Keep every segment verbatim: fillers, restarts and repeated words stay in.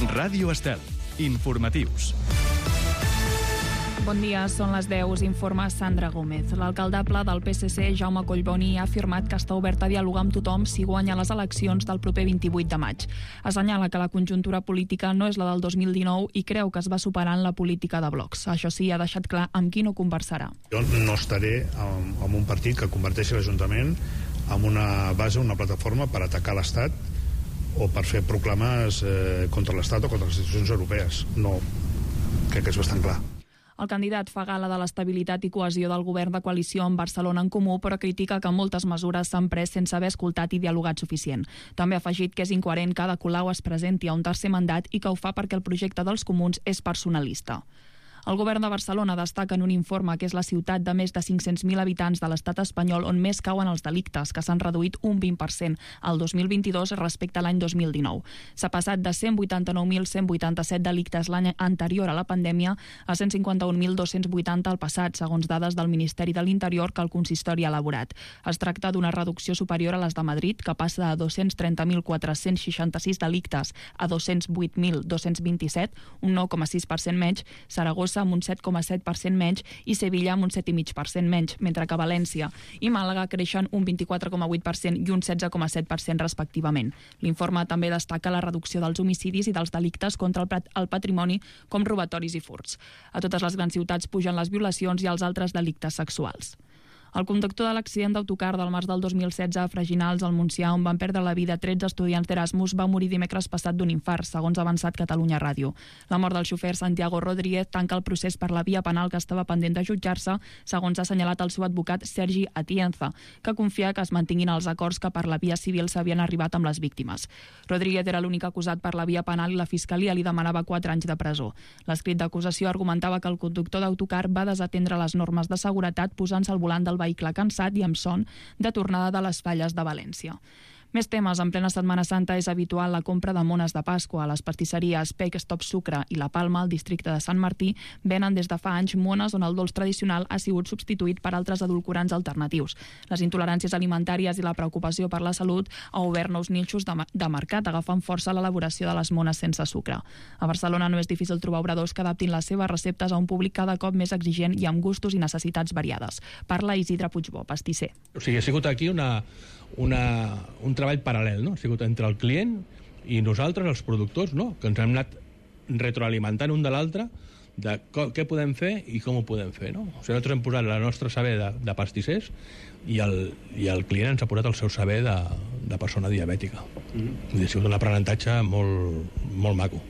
Ràdio Estel. Informatius. Bon dia, són les deu, us informa Sandra Gómez. L'alcaldable del P S C, Jaume Collboni, ha afirmat que està obert a dialogar amb tothom si guanya les eleccions del proper vint-i-vuit de maig. Assenyala que la conjuntura política no és la del dos mil dinou i creu que es va superant la política de blocs. Això sí, ha deixat clar amb qui no conversarà. Jo no estaré amb, amb un partit que converteixi l'Ajuntament en una base, una plataforma per atacar l'Estat o per fer proclames eh, contra l'Estat o contra les institucions europees. No, crec que és bastant clar. El candidat fa gala de l'estabilitat i cohesió del govern de coalició amb Barcelona en Comú, però critica que moltes mesures s'han pres sense haver escoltat i dialogat suficient. També ha afegit que és incoherent que Ada Colau es presenti a un tercer mandat i que ho fa perquè el projecte dels comuns és personalista. El govern de Barcelona destaca en un informe que és la ciutat de més de cinc-cents mil habitants de l'estat espanyol on més cauen els delictes, que s'han reduït un vint per cent al dos mil vint-i-dos respecte a l'any dos mil dinou. S'ha passat de cent vuitanta-nou mil cent vuitanta-set delictes l'any anterior a la pandèmia a cent cinquanta-un mil dos-cents vuitanta al passat, segons dades del Ministeri de l'Interior que el consistori ha elaborat. Es tracta d'una reducció superior a les de Madrid, que passa de dos-cents trenta mil quatre-cents seixanta-sis delictes a dos-cents vuit mil dos-cents vint-i-set, un nou coma sis per cent menys, Saragossa amb un set coma set per cent menys i Sevilla amb un set coma cinc per cent menys, mentre que València i Màlaga creixen un vint-i-quatre coma vuit per cent i un setze coma set per cent respectivament. L'informe també destaca la reducció dels homicidis i dels delictes contra el patrimoni com robatoris i furts. A totes les grans ciutats pugen les violacions i els altres delictes sexuals. El conductor de l'accident d'autocar del març del dos mil setze a Freginals, al Montsià, on van perdre la vida tretze estudiants d'Erasmus, va morir dimecres passat d'un infart, segons ha avançat Catalunya Ràdio. La mort del xofer Santiago Rodríguez tanca el procés per la via penal que estava pendent de jutjar-se, segons ha assenyalat el seu advocat Sergi Atienza, que confia que es mantinguin els acords que per la via civil s'havien arribat amb les víctimes. Rodríguez era l'únic acusat per la via penal i la Fiscalia li demanava quatre anys de presó. L'escrit d'acusació argumentava que el conductor d'autocar va desatendre les normes de seguretat posant-se al volant del vehicle cansat i amb son de tornada de les falles de València. Més temes. En plena Setmana Santa és habitual la compra de mones de Pasqua. Les pastisseries Pec Stop Sucre i La Palma, al districte de Sant Martí, venen des de fa anys mones on el dolç tradicional ha sigut substituït per altres edulcorants alternatius. Les intoleràncies alimentàries i la preocupació per la salut ha obert nous nichos de, de mercat, agafant força l'elaboració de les mones sense sucre. A Barcelona no és difícil trobar obradors que adaptin les seves receptes a un públic cada cop més exigent i amb gustos i necessitats variades. Parla Isidre Puigbó, pastisser. O sigui, ha sigut aquí una... Una, un treball paral·lel, no? Ha sigut entre el client i nosaltres, els productors, no? Que ens hem anat retroalimentant un de l'altre de co- què podem fer i com ho podem fer, no? O sigui, nosaltres hem posat la nostra saber de, de pastissers i el, i el client ens ha posat el seu saber de, de persona diabètica. Mm-hmm. Ha sigut un aprenentatge molt, molt maco.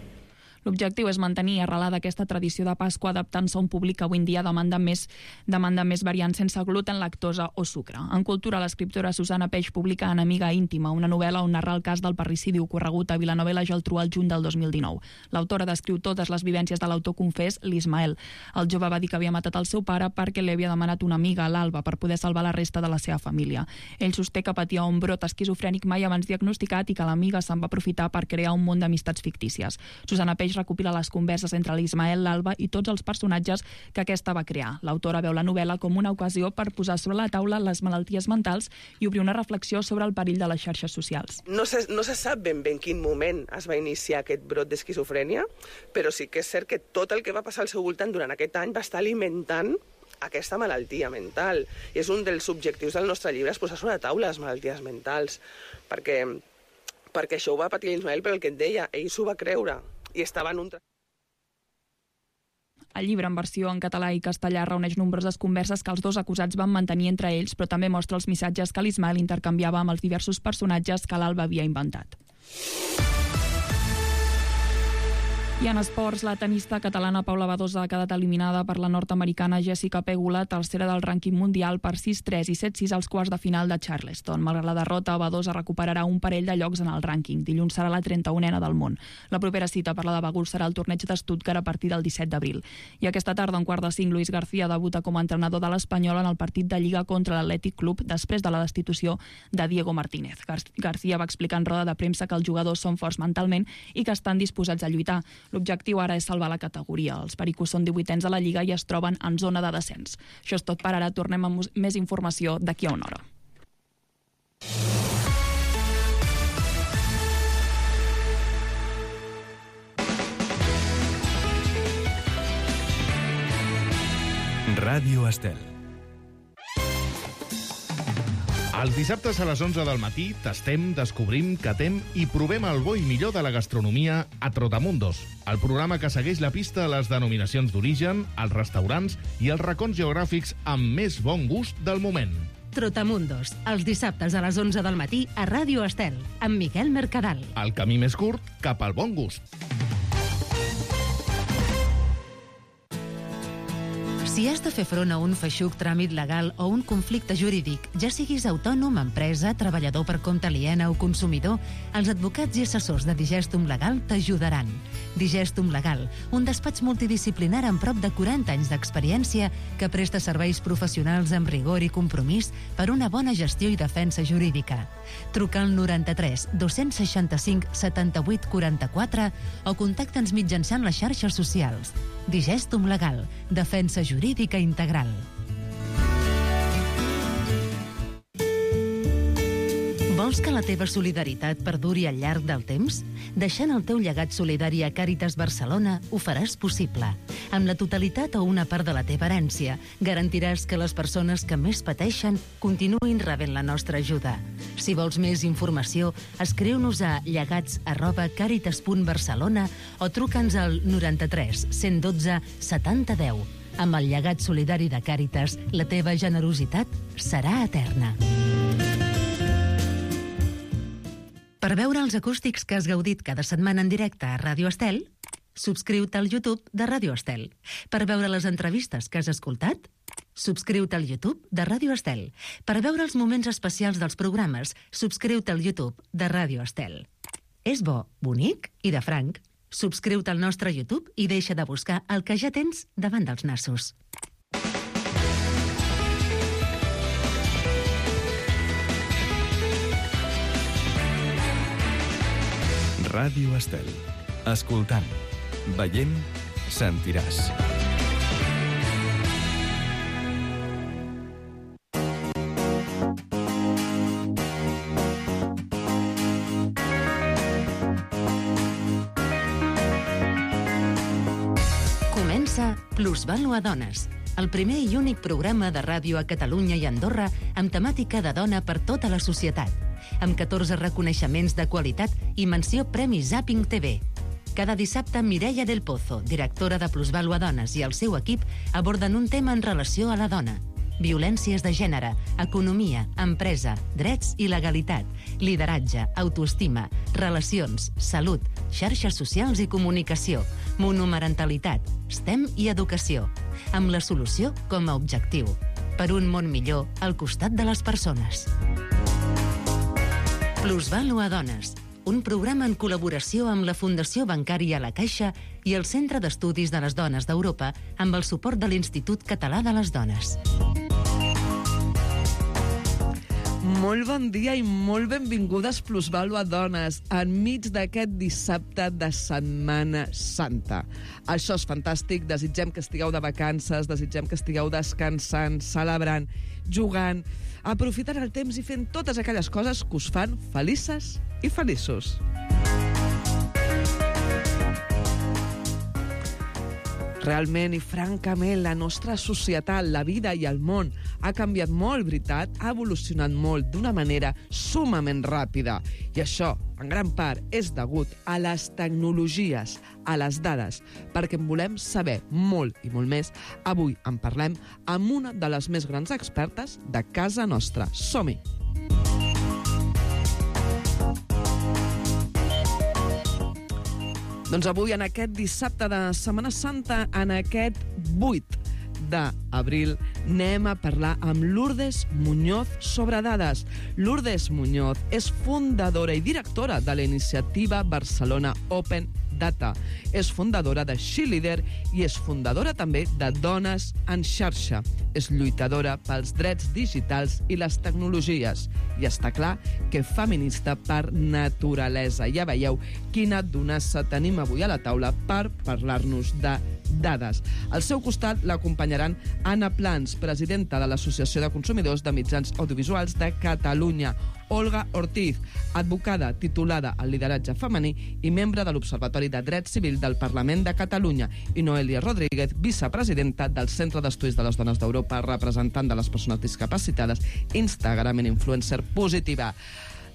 L'objectiu és mantenir arrelada aquesta tradició de Pasqua adaptant-se a un públic que avui en dia demanda més, demanda més variants sense gluten, lactosa o sucre. En cultura, l'escriptora Susana Peix publica Enemiga íntima, una novel·la on narra el cas del parricidi ocorregut a Vilanova i la Geltrú al juny del dos mil dinou. L'autora descriu totes les vivències de l'autor confés, l'Ismael. El jove va dir que havia matat el seu pare perquè li havia demanat una amiga, l'Alba, per poder salvar la resta de la seva família. Ell sosté que patia un brot esquizofrènic mai abans diagnosticat i que l'amiga se'n va aprofitar per crear un món d'amistats fictícies. Susana Peix recopila les converses entre l'Ismael, l'Alba i tots els personatges que aquesta va crear. L'autora veu la novel·la com una ocasió per posar sobre la taula les malalties mentals i obrir una reflexió sobre el perill de les xarxes socials. No se, no se sap ben bé en quin moment es va iniciar aquest brot d'esquizofrènia, però sí que és cert que tot el que va passar al seu voltant durant aquest any va estar alimentant aquesta malaltia mental. I és un dels objectius del nostre llibre, és posar sobre la taula les malalties mentals, perquè, perquè això ho va patir l'Ismael, però el que et deia, ell s'ho va creure i estava en un... El llibre, en versió en català i castellà, reuneix nombroses converses que els dos acusats van mantenir entre ells, però també mostra els missatges que l'Ismael intercanviava amb els diversos personatges que l'Alba havia inventat. I en esports, la tenista catalana Paula Badosa ha quedat eliminada per la nord-americana Jessica Pegula, tercera del rànquing mundial, per sis tres i set sis als quarts de final de Charleston. Malgrat la derrota, Badosa recuperarà un parell de llocs en el rànquing. Dilluns serà la trenta-unena del món. La propera cita per la de Begur serà el torneig de Stuttgart a partir del disset d'abril. I aquesta tarda, en quart de cinc, Luis García debuta com a entrenador de l'Espanyol en el partit de Lliga contra l'Atlètic Club després de la destitució de Diego Martínez. Gar- García va explicar en roda de premsa que els jugadors són forts mentalment i que estan disposats a lluitar. L'objectiu ara és salvar la categoria. Els pericos són divuitens a la Lliga i es troben en zona de descens. Això és tot per ara. Tornem amb més informació d'aquí a una hora. Ràdio Estel. Els dissabtes a les onze del matí tastem, descobrim, catem i provem el bo i millor de la gastronomia a Trotamundos, el programa que segueix la pista a les denominacions d'origen, els restaurants i els racons geogràfics amb més bon gust del moment. Trotamundos, els dissabtes a les onze del matí a Ràdio Estel, amb Miquel Mercadal. El camí més curt cap al bon gust. Si has de fer front a un feixuc tràmit legal o un conflicte jurídic, ja siguis autònom, empresa, treballador per compte aliena o consumidor, els advocats i assessors de Digestum Legal t'ajudaran. Digestum Legal, un despatx multidisciplinar amb prop de quaranta anys d'experiència que presta serveis professionals amb rigor i compromís per una bona gestió i defensa jurídica. Truca al noranta-tres dos-cents seixanta-cinc setanta-vuit quaranta-quatre o contacta'ns mitjançant les xarxes socials. Digestum Legal, defensa jurídica integral. Vols que la teva solidaritat perduri al llarg del temps? Deixant el teu llegat solidari a Càritas Barcelona ho faràs possible. Amb la totalitat o una part de la teva herència, garantiràs que les persones que més pateixen continuïn rebent la nostra ajuda. Si vols més informació, escriu-nos a llegats arroba càritas punt barcelona o truca'ns al noranta-tres cent dotze setanta deu. Amb el llegat solidari de Càritas, la teva generositat serà eterna. Per veure els acústics que has gaudit cada setmana en directe a Ràdio Estel, subscriu-te al YouTube de Ràdio Estel. Per veure les entrevistes que has escoltat, subscriu-te al YouTube de Ràdio Estel. Per veure els moments especials dels programes, subscriu-te al YouTube de Ràdio Estel. És bo, bonic i de franc. Subscriu-te al nostre YouTube i deixa de buscar el que ja tens davant dels nassos. Ràdio Estel. Escoltant, veient, sentiràs. Comença Plusvàlua Dones, el primer i únic programa de ràdio a Catalunya i Andorra amb temàtica de dona per tota la societat, amb catorze reconeixements de qualitat i menció Premi Zapping T V. Cada dissabte, Mireia del Pozo, directora de Plusvàlua Dones, i el seu equip aborden un tema en relació a la dona. Violències de gènere, economia, empresa, drets i legalitat, lideratge, autoestima, relacions, salut, xarxes socials i comunicació, monomarentalitat, STEM i educació, amb la solució com a objectiu. Per un món millor al costat de les persones. Plusvàlua Dones, un programa en col·laboració amb la Fundació Bancària La Caixa i el Centre d'Estudis de les Dones d'Europa amb el suport de l'Institut Català de les Dones. Molt bon dia i molt benvingudes Plusvàlua Dones enmig d'aquest dissabte de Setmana Santa. Això és fantàstic, desitgem que estigueu de vacances, desitgem que estigueu descansant, celebrant, jugant, aprofitant el temps i fent totes aquelles coses que us fan felices i feliços. Realment i francament, la nostra societat, la vida i el món ha canviat molt, veritat? Ha evolucionat molt d'una manera sumament ràpida. I això, en gran part, és degut a les tecnologies, a les dades, perquè en volem saber molt i molt més. Avui en parlem amb una de les més grans expertes de casa nostra. Som-hi! Doncs avui, en aquest dissabte de Setmana Santa, en aquest vuit d'abril, anem a parlar amb Lourdes Muñoz sobre dades. Lourdes Muñoz és fundadora i directora de la iniciativa Barcelona Open Data. És fundadora de SheLeader i és fundadora també de Dones en Xarxa. És lluitadora pels drets digitals i les tecnologies. I està clar que feminista per naturalesa. Ja veieu quina donassa tenim avui a la taula per parlar-nos de dades. Al seu costat l'acompanyaran Anna Plans, presidenta de l'Associació de Consumidors de Mitjans Audiovisuals de Catalunya. Olga Ortiz, advocada titulada al lideratge femení i membre de l'Observatori de Dret Civil del Parlament de Catalunya, i Noelia Rodríguez, vicepresidenta del Centre d'Estudis de les Dones d'Europa, representant de les persones discapacitades, Instagram i influencer positiva.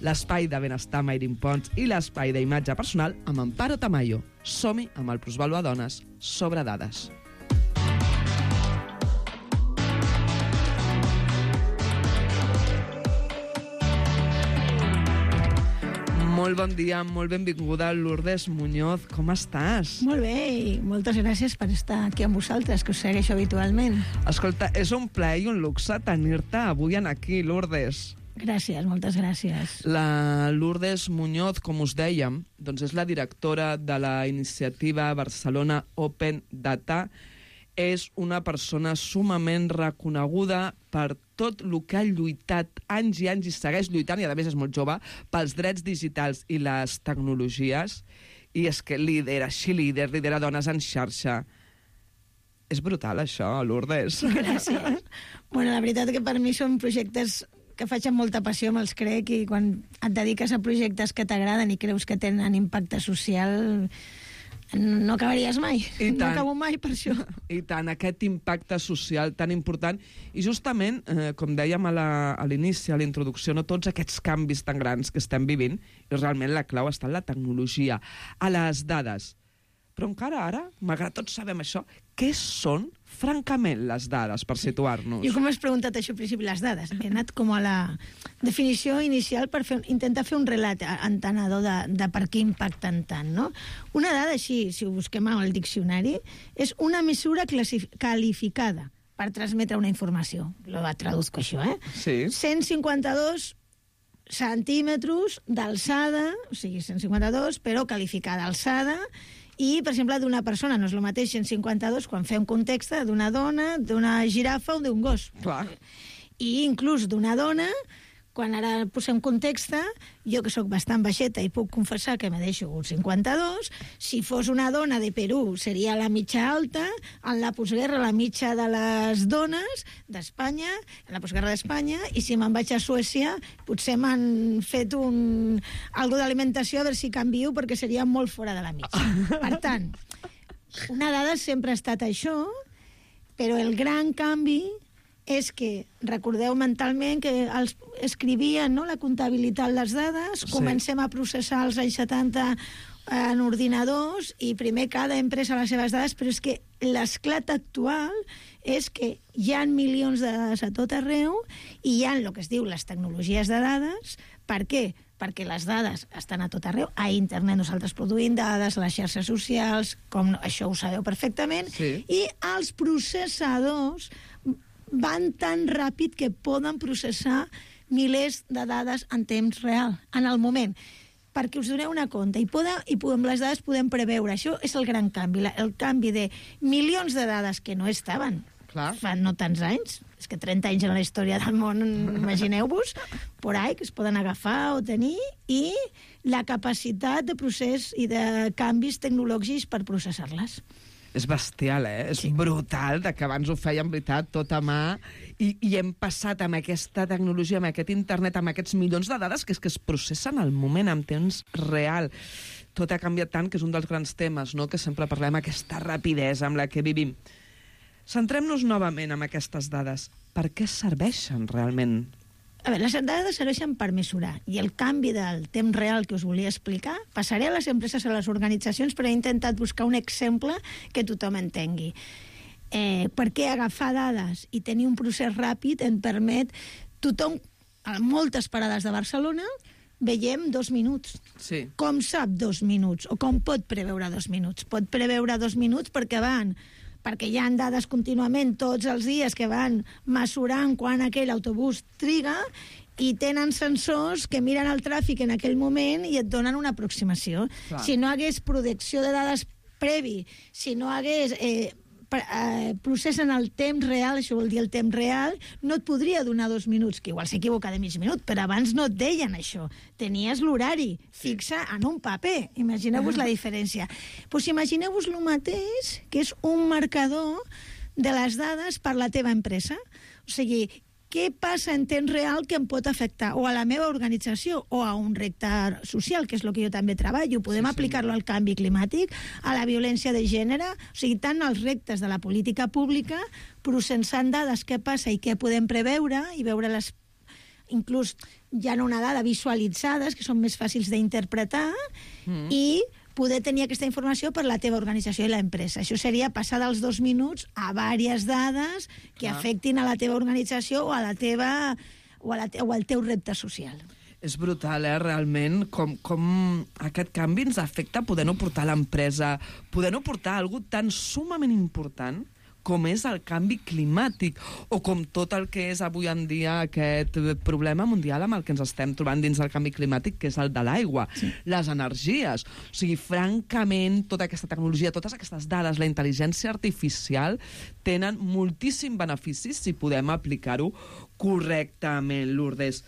L'espai de benestar Mayrin Pons i l'espai d'imatge personal amb Amparo Tamayo. Som-hi amb el Plusvalua Dones sobre dades. Molt bon dia, molt benvinguda, Lourdes Muñoz. Com estàs? Molt bé, i moltes gràcies per estar aquí amb vosaltres, que us segueixo habitualment. Escolta, és un plaer i un luxe tenir-te avui aquí, Lourdes. Gràcies, moltes gràcies. La Lourdes Muñoz, com us dèiem, doncs és la directora de la iniciativa Barcelona Open Data. És una persona sumament reconeguda per tot el que ha lluitat anys i anys i segueix lluitant, i a més és molt jove, pels drets digitals i les tecnologies. I és que líder, així líder, lidera dones en xarxa. És brutal, això, Lourdes. Gràcies. Bueno, la veritat que per mi són projectes que faig amb molta passió, me'ls crec, i quan et dediques a projectes que t'agraden i creus que tenen impacte social, no acabaries mai. I no acabo mai per això. I tant, aquest impacte social tan important. I justament, eh, com dèiem a l'inici, a la introducció, no tots aquests canvis tan grans que estem vivint, i realment la clau està en la tecnologia, a les dades. Però encara ara, malgrat tots sabem això, què són, francament, les dades, per situar-nos? Jo com has preguntat això al principi, les dades? He anat com a la definició inicial per fer, intentar fer un relat entenedor de, de per què impacten tant, no? Una dada així, si ho busquem al diccionari, és una mesura qualificada per transmetre una informació. Lo traduzco això, eh? Sí. cent cinquanta-dos centímetres d'alçada, o sigui, cent cinquanta-dos, però qualificada alçada. I, per exemple, d'una persona no és el mateix cent cinquanta-dos quan fem context d'una dona, d'una girafa o d'un gos. Clar. I inclús d'una dona, quan ara posem context, jo que sóc bastant baixeta i puc confessar que me deixo un cinquanta-dos, si fos una dona de Perú seria la mitja alta, en la postguerra la mitja de les dones d'Espanya, en la postguerra d'Espanya, i si me'n vaig a Suècia potser m'han fet un... algo d'alimentació a veure si canvio, perquè seria molt fora de la mitja. Per tant, una dada sempre ha estat això, però el gran canvi és que, recordeu mentalment que els escrivien, no?, la comptabilitat de les dades, sí. Comencem a processar als anys setanta en ordinadors i primer cada empresa les seves dades, però és que l'esclat actual és que hi ha milions de dades a tot arreu i hi ha el que es diu les tecnologies de dades. Per què? Perquè les dades estan a tot arreu. A internet nosaltres produïm dades, a les xarxes socials, com això ho sabeu perfectament, sí. I els processadors van tan ràpid que poden processar milers de dades en temps real, en el moment. Perquè us doneu una compte, i, poden, i amb les dades podem preveure. Això és el gran canvi, el canvi de milions de dades que no estaven Clar. Fa no tants anys, és que trenta anys en la història del món, imagineu-vos, por ahí, que es poden agafar o tenir, i la capacitat de procés i de canvis tecnològics per processar-les. És bestial, eh? És sí. Brutal, de que abans ho feia en veritat tot a mà, i, i hem passat amb aquesta tecnologia, amb aquest internet, amb aquests milions de dades que és que es processen al moment, en temps real. Tot ha canviat tant, que és un dels grans temes, no?, que sempre parlem, aquesta rapidesa amb la que vivim. Centrem-nos novament en aquestes dades. Per què serveixen realment? A veure, les dades serveixen per mesurar, i el canvi del temps real que us volia explicar, passaré a les empreses, a les organitzacions, però he intentat buscar un exemple que tothom entengui. Eh, perquè agafar dades i tenir un procés ràpid em permet... Tothom, a moltes parades de Barcelona, veiem dos minuts. Sí. Com sap dos minuts? O com pot preveure dos minuts? Pot preveure dos minuts perquè van... perquè hi ha dades contínuament tots els dies que van mesurant quan aquell autobús triga i tenen sensors que miren el tràfic en aquell moment i et donen una aproximació. Clar. Si no hagués protecció de dades previ, si no hagués... Eh, eh, processen el temps real, això vol dir el temps real, no et podria donar dos minuts, que igual s'equivoca de mig minut, però abans no et deien això. Tenies l'horari fixa en un paper. Imagineu-vos la diferència. Pues imagineu-vos el mateix, que és un marcador de les dades per la teva empresa. O sigui, què passa en temps real que em pot afectar o a la meva organització o a un repte social, que és el que jo també treballo. Podem sí, aplicar-lo sí. al canvi climàtic, a la violència de gènere, o sigui, tant als reptes de la política pública, processant dades què passa i què podem preveure i veure les inclús ja no una dada visualitzades, que són més fàcils d'interpretar, mm. i poder tenir aquesta informació per la teva organització i l'empresa. Això seria passar dels dos minuts a diverses dades que Clar. afectin a la teva organització o a la teva o, a la te o al teu repte social. És brutal, eh, realment, com, com aquest canvi ens afecta podent-ho portar a l'empresa, podent-ho portar a algo tan sumament important com és el canvi climàtic, o com tot el que és avui en dia aquest problema mundial amb el que ens estem trobant dins del canvi climàtic, que és el de l'aigua, sí. les energies. O sigui, francament, tota aquesta tecnologia, totes aquestes dades, la intel·ligència artificial, tenen moltíssim beneficis si podem aplicar-ho correctament, Lourdes.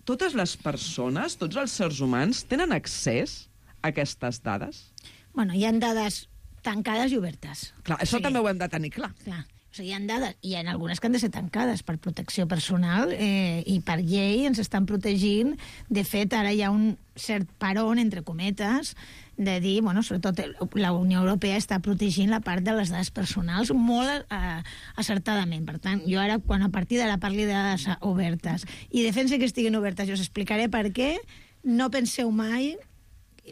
Totes les persones, tots els seres humans, tenen accés a aquestes dades? Bueno, hi ha dades tancades i obertes. Clar, això o sigui, també ho hem de tenir clar. Clar. O sigui, hi ha dades, hi ha algunes que han de ser tancades per protecció personal eh, i per llei ens estan protegint. De fet, ara hi ha un cert paron, entre cometes, de dir, bueno, sobretot la Unió Europea està protegint la part de les dades personals molt eh, acertadament. Per tant, jo ara, quan a partir d'ara parli de dades obertes i defense que estiguin obertes, jo us explicaré per què. No penseu mai,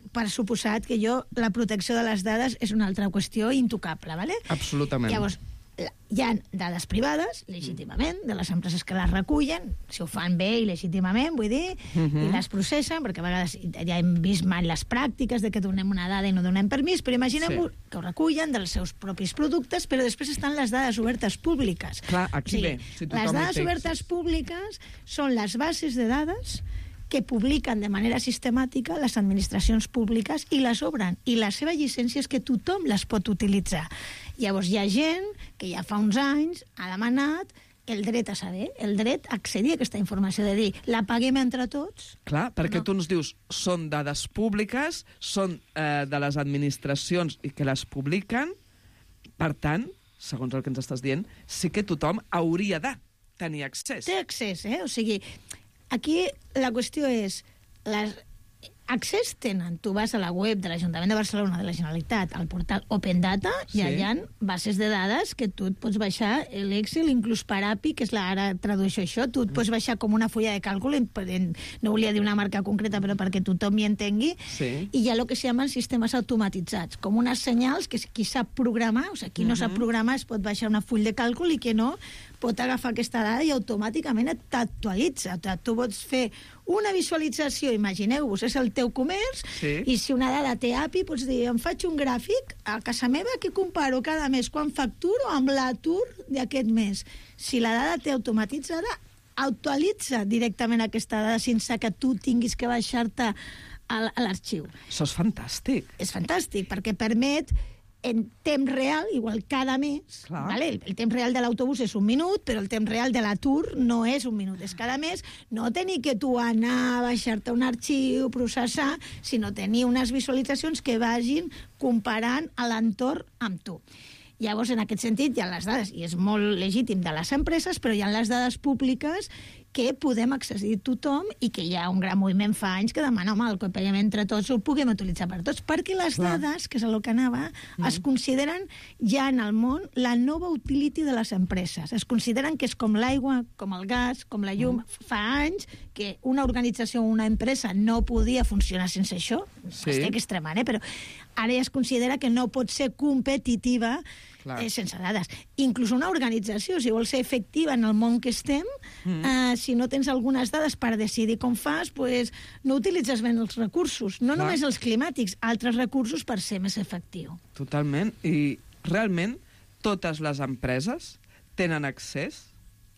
per suposat, que jo la protecció de les dades és una altra qüestió intocable, ¿vale? Absolutament. Llavors, hi ha dades privades, legítimament, de les empreses que les recullen, si ho fan bé i legítimament, vull dir, uh -huh. i les processen, perquè a vegades ja hem vist mal les pràctiques de que donem una dada i no donem permís, però imaginem-ho sí. que ho recullen dels seus propis productes, però després estan les dades obertes públiques. Clar, aquí o sigui, bé. Si les dades obertes públiques són les bases de dades que publiquen de manera sistemàtica les administracions públiques i les obren. I la seva llicència és que tothom les pot utilitzar. Llavors hi ha gent que ja fa uns anys ha demanat el dret a saber, el dret a accedir a aquesta informació, de dir, la paguem entre tots? Clar, perquè no. tu ens dius, són dades públiques, són eh, de les administracions i que les publiquen, per tant, segons el que ens estàs dient, sí que tothom hauria de tenir accés. Té accés, eh? O sigui, aquí la qüestió és, les accés tenen. Tu vas a la web de l'Ajuntament de Barcelona, de la Generalitat, al portal Open Data, sí. i allà hi ha bases de dades que tu et pots baixar l'Excel, inclús per A P I, que és la, ara tradueixo això, tu et pots baixar com una fulla de càlcul, en, en, no volia dir una marca concreta, però perquè tothom hi entengui, sí. i hi ha el que se llaman sistemes automatitzats, com unes senyals que qui sap programar, o sigui, qui uh -huh. no sap programar es pot baixar una full de càlcul i qui no pot agafar aquesta dada i automàticament t'actualitza. Tu pots fer una visualització, imagineu-vos, és el teu comerç, sí. i si una dada té A P I, pots dir, em faig un gràfic a casa meva que comparo cada mes quan facturo amb l'atur d'aquest mes. Si la dada té automatitzada, actualitza directament aquesta dada sense que tu tinguis que baixar-te a l'arxiu. Això és fantàstic. És fantàstic, perquè permet en temps real, igual cada mes, ¿vale? El, el temps real de l'autobús és un minut, però el temps real de l'atur no és un minut, és cada mes. No tenir que tu anar a baixar-te un arxiu, processar, sinó tenir unes visualitzacions que vagin comparant a l'entorn amb tu. Llavors, en aquest sentit, hi ha les dades, i és molt legítim de les empreses, però hi ha les dades públiques que podem accedir tothom i que hi ha un gran moviment fa anys que demana, home, el que paguem entre tots ho puguem utilitzar per tots, perquè les Clar. dades, que és el que anava, mm. es consideren ja en el món la nova utility de les empreses. Es consideren que és com l'aigua, com el gas, com la llum. Mm. Fa anys que una organització o una empresa no podia funcionar sense això, sí. estic extremant, eh? Però ara ja es considera que no pot ser competitiva eh, sense dades. Inclús una organització, si vol ser efectiva en el món que estem, mm. eh, si no tens algunes dades per decidir com fas, pues, no utilitzes bé els recursos, no Clar. només els climàtics, altres recursos per ser més efectiu. Totalment, i realment totes les empreses tenen accés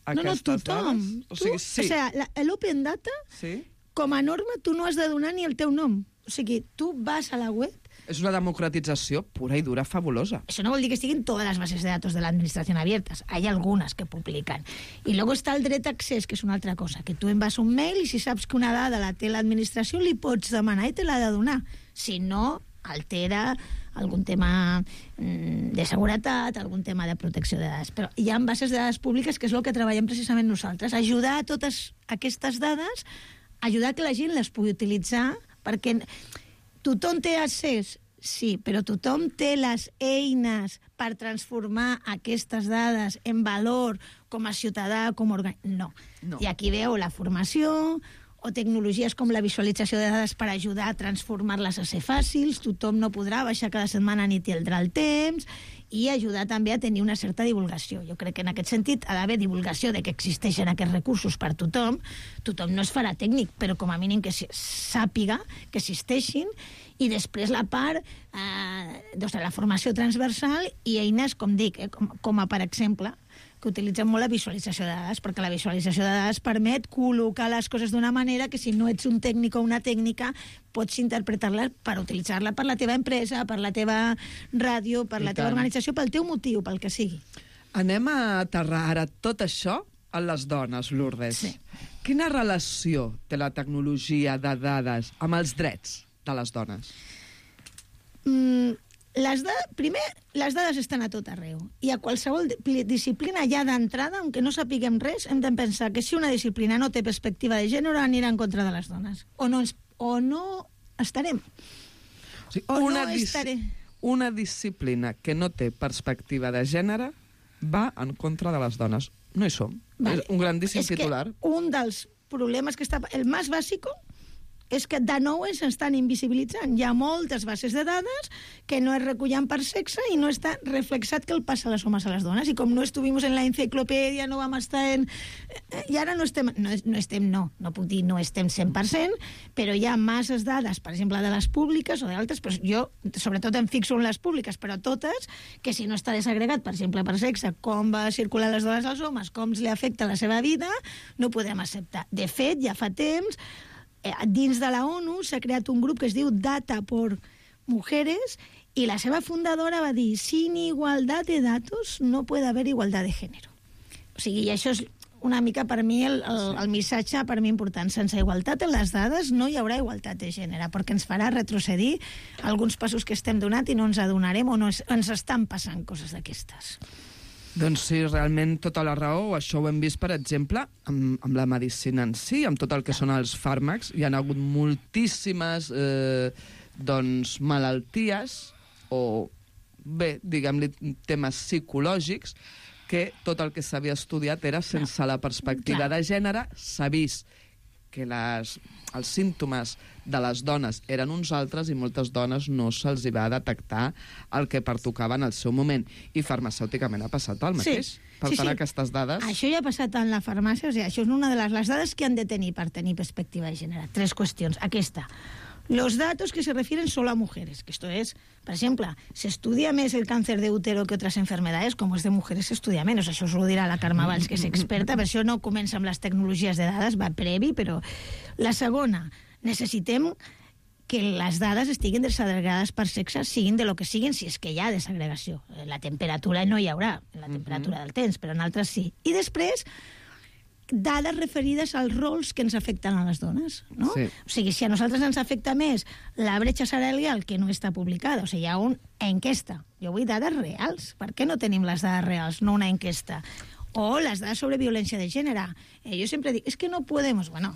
a no, aquestes no, tothom. dades? O sigui, sí. O sigui, l'Open Data, sí. com a norma, tu no has de donar ni el teu nom. O sigui, tu vas a la web. Es una democratització pura y dura fabulosa. Eso no vol dir que estiguin todas las bases de datos de la administración abiertas. Hay algunas que publican. Y luego está el dret accés, que és una altra cosa, que tu envas un mail i si saps que una dada la té l'administració li pots demanar i te l'ha de donar. Si no, altera algun tema de seguretat, algun tema de protecció de dades. Però hi ha bases de dades públiques, que és el que treballem precisament nosaltres, ajudar a totes aquestes dades, ajudar que la gent les pugui utilitzar, perquè tothom té accés, sí, però tothom té les eines per transformar aquestes dades en valor com a ciutadà, com a organi... No. no. I aquí veu la formació o tecnologies com la visualització de dades per ajudar a transformar-les a ser fàcils. Tothom no podrà baixar cada setmana ni tindrà el temps, i ajudar també a tenir una certa divulgació. Jo crec que en aquest sentit ha d'haver divulgació de que existeixen aquests recursos per tothom. Tothom no es farà tècnic, però com a mínim que sàpiga que existeixin, i després la part eh, doncs de la formació transversal i eines, com dic, eh, com, com a per exemple, que utilitzen molt la visualització de dades, perquè la visualització de dades permet col·locar les coses d'una manera que si no ets un tècnic o una tècnica pots interpretar-la per utilitzar-la per la teva empresa, per la teva ràdio, per I la teva tant. organització, pel teu motiu, pel que sigui. Anem a aterrar ara tot això a les dones, Lourdes. Sí. Quina relació té la tecnologia de dades amb els drets de les dones? Mm, les de... Primer, les dades estan a tot arreu. I a qualsevol disciplina, ja d'entrada, aunque no sapiguem res, hem de pensar que si una disciplina no té perspectiva de gènere, anirà en contra de les dones. O no, o no estarem. O, sigui, o una no dis estaré. Una disciplina que no té perspectiva de gènere va en contra de les dones. No hi som. Vale. És un grandíssim és titular. Un dels problemes que està... El més bàsic és que de nou ens estan invisibilitzant. Hi ha moltes bases de dades que no es recullen per sexe i no està reflexat que el passa a les homes a les dones. I com no estuvimos en la enciclopèdia, no vam estar en... I ara no estem... No, no estem, no. No puc dir no estem cent per cent, però hi ha masses dades, per exemple, de les públiques o d'altres, però jo sobretot em fixo en les públiques, però totes, que si no està desagregat, per exemple, per sexe, com va circular les dones als homes, com li afecta la seva vida, no ho podem acceptar. De fet, ja fa temps, dins de la ONU s'ha creat un grup que es diu Data por Mujeres i la seva fundadora va dir sin igualdad de datos no puede haber igualdad de género. O sigui, i això és una mica per mi el, el, el missatge per mi important. Sense igualtat en les dades no hi haurà igualtat de gènere, perquè ens farà retrocedir alguns passos que estem donant i no ens adonarem o no es, ens estan passant coses d'aquestes. Doncs sí, realment tota la raó. Això ho hem vist, per exemple, amb, amb la medicina en si, amb tot el que són els fàrmacs. Hi ha hagut moltíssimes eh, doncs, malalties o, bé, diguem-li, temes psicològics que tot el que s'havia estudiat era sense la perspectiva de gènere. S'ha vist que les, els símptomes de les dones eren uns altres i moltes dones no se'ls va detectar el que pertocava en el seu moment. I farmacèuticament ha passat el mateix. Sí. Per sí, tant, sí. aquestes dades... Això ja ha passat en la farmàcia, o sigui, això és una de les, les dades que han de tenir per tenir perspectiva de gènere. Tres qüestions. Aquesta. Los datos que se refieren solo a mujeres, que esto es, por ejemplo, se estudia más el cáncer de útero que otras enfermedades, como es de mujeres se estudia menos. Això us ho dirà la Carme Valls, que és experta, per això no comença amb les tecnologies de dades, va previ, però... La segona, necessitem que les dades estiguin desagregades per sexe, siguin de lo que siguin, si és que hi ha desagregació. La temperatura no hi haurà, la temperatura del temps, però en altres sí. I després... dades referides als rols que ens afecten a les dones, no? Sí. O sigui, si a nosaltres ens afecta més la bretxa salarial, que no està publicada, o sigui, hi ha una enquesta. Jo vull dades reals. Per què no tenim les dades reals, no una enquesta? O les dades sobre violència de gènere. Eh, jo sempre dic, és que no podem... Bueno,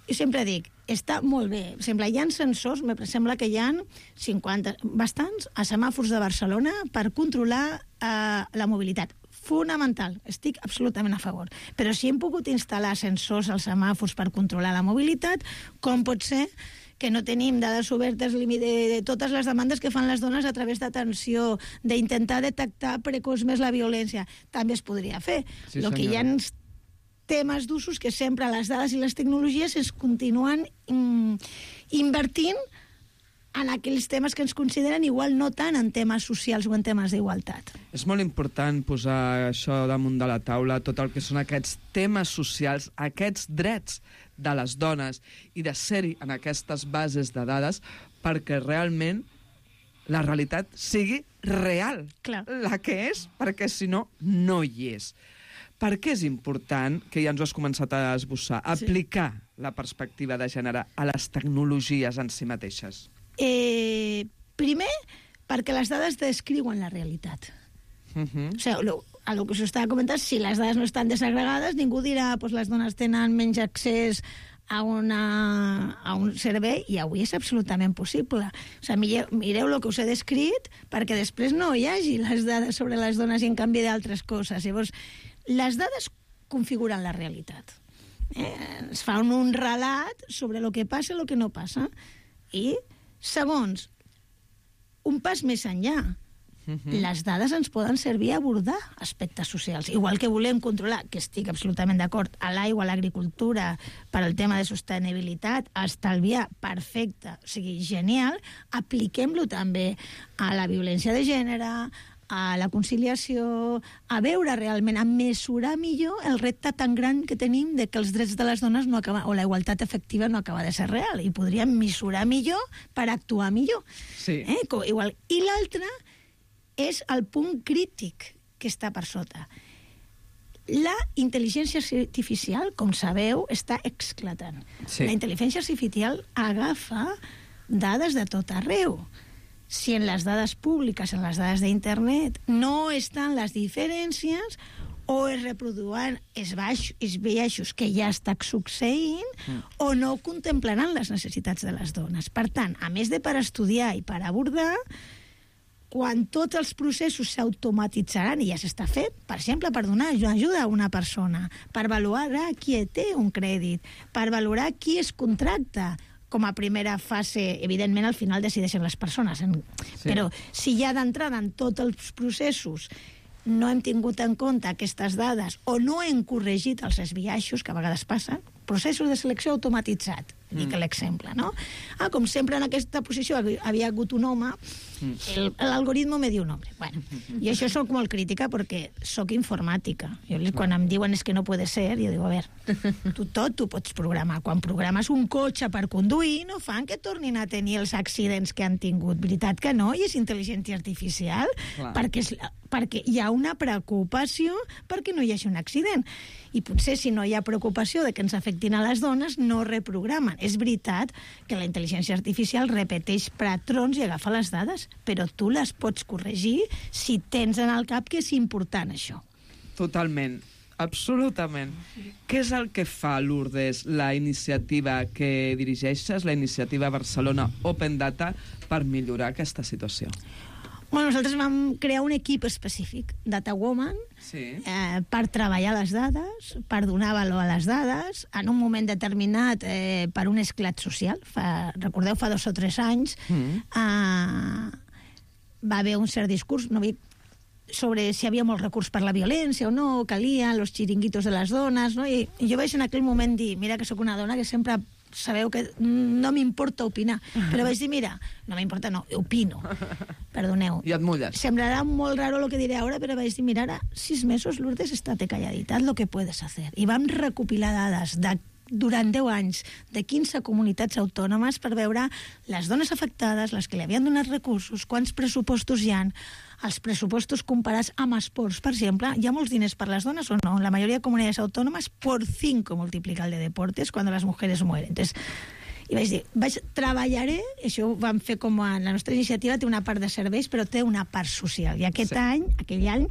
jo sempre dic, està molt bé. Sembla, hi ha sensors, me sembla que hi ha cinquanta, bastants, a semàfors de Barcelona per controlar eh, la mobilitat. Fonamental, estic absolutament a favor. Però si hem pogut instal·lar sensors als semàfors per controlar la mobilitat, com pot ser que no tenim dades obertes de, de totes les demandes que fan les dones a través d'atenció, d'intentar detectar precoç més la violència? També es podria fer. Sí, El que hi ha temes d'usos que sempre les dades i les tecnologies es continuen mm, invertint en aquells temes que ens consideren igual, no tant en temes socials o en temes d'igualtat. És molt important posar això damunt de la taula, tot el que són aquests temes socials, aquests drets de les dones i de ser-hi en aquestes bases de dades perquè realment la realitat sigui real, Clar. la que és, perquè si no, no hi és. Per què és important, que ja ens ho has començat a esbossar, aplicar sí. la perspectiva de gènere a les tecnologies en si mateixes? Eh, primer, perquè les dades descriuen la realitat. Uh-huh. O sigui, lo, a lo que s'estava comentant, si les dades no estan desagregades, ningú dirà que pues, les dones tenen menys accés a, una, a un servei, i avui és absolutament possible. O sigui, mireu, mireu el que us he descrit perquè després no hi hagi les dades sobre les dones i en canvi d'altres coses. Llavors, les dades configuren la realitat. Eh, es fa un, un relat sobre el que passa i el que no passa. I, segons, un pas més enllà, uh-huh. les dades ens poden servir a abordar aspectes socials. Igual que volem controlar, que estic absolutament d'acord, a l'aigua, a l'agricultura, per al tema de sostenibilitat, a estalviar, perfecte, o sigui, genial, apliquem-lo també a la violència de gènere, a la conciliació, a veure realment, a mesurar millor el repte tan gran que tenim de que els drets de les dones no acaba, o la igualtat efectiva no acaba de ser real, i podríem mesurar millor per actuar millor. Sí. Eh? Igual. I l'altre és el punt crític que està per sota. La intel·ligència artificial, com sabeu, està esclatant. Sí. La intel·ligència artificial agafa dades de tot arreu. Si en les dades públiques, en les dades d'internet, no estan les diferències o es reproduïran els, baix, els biaixos que ja està succeint mm. o no contemplaran les necessitats de les dones. Per tant, a més de per estudiar i per abordar, quan tots els processos s'automatitzaran, i ja s'està fent, per exemple, per donar ajuda a una persona, per valorar qui té un crèdit, per valorar qui es contracta, com a primera fase, evidentment, al final decideixen les persones. Sí. Però si ja d'entrada en tots els processos no hem tingut en compte aquestes dades o no hem corregit els esbiaixos que a vegades passen, processos de selecció automatitzat, mm. dic l'exemple, no? Ah, com sempre en aquesta posició havia hagut un home, el, l'algoritme me diu un home. Bueno, i això soc molt crítica perquè soc informàtica. Jo, quan em diuen és que no puede ser, jo dic, a veure, tu tot tu pots programar. Quan programes un cotxe per conduir, no fan que tornin a tenir els accidents que han tingut. Veritat que no? I és intel·ligència artificial, perquè, és, perquè hi ha una preocupació perquè no hi hagi un accident. I potser si no hi ha preocupació de que ens afectin a les dones, no reprogramen. És veritat que la intel·ligència artificial repeteix patrons i agafa les dades, però tu les pots corregir si tens en el cap que és important això. Totalment, absolutament. Què és el que fa, Lourdes, la iniciativa que dirigeixes, la iniciativa Barcelona Open Data, per millorar aquesta situació? Bueno, nosaltres vam crear un equip específic, Data Woman, sí. eh, per treballar les dades, per donar valor a les dades, en un moment determinat eh, per un esclat social. Fa, recordeu, fa dos o tres anys mm. eh, va haver un cert discurs, no havia, sobre si hi havia molt recurs per la violència o no, calia, los xiringuitos de les dones, no? I, i jo vaig en aquell moment dir, mira que sóc una dona que sempre... sabeu que no m'importa opinar, però vaig dir, mira, no m'importa, no, opino, perdoneu. I et mulles. Sembrarà molt raro lo que diré ara, però vaig dir, mira, ara, sis mesos, Lourdes, estate calladita, haz lo que puedes hacer. I vam recopilar dades de durant deu anys de quinze comunitats autònomes per veure les dones afectades, les que li havien donat recursos, quants pressupostos hi ha, els pressupostos comparats amb esports, per exemple, hi ha molts diners per les dones o no? En la majoria de comunitats autònomes, por cinco multiplica el de deportes cuando las mujeres mueren. Entonces, i vaig dir, vaig, treballaré, això ho vam fer com a la nostra iniciativa, té una part de serveis, però té una part social. I aquest sí. any, aquell any,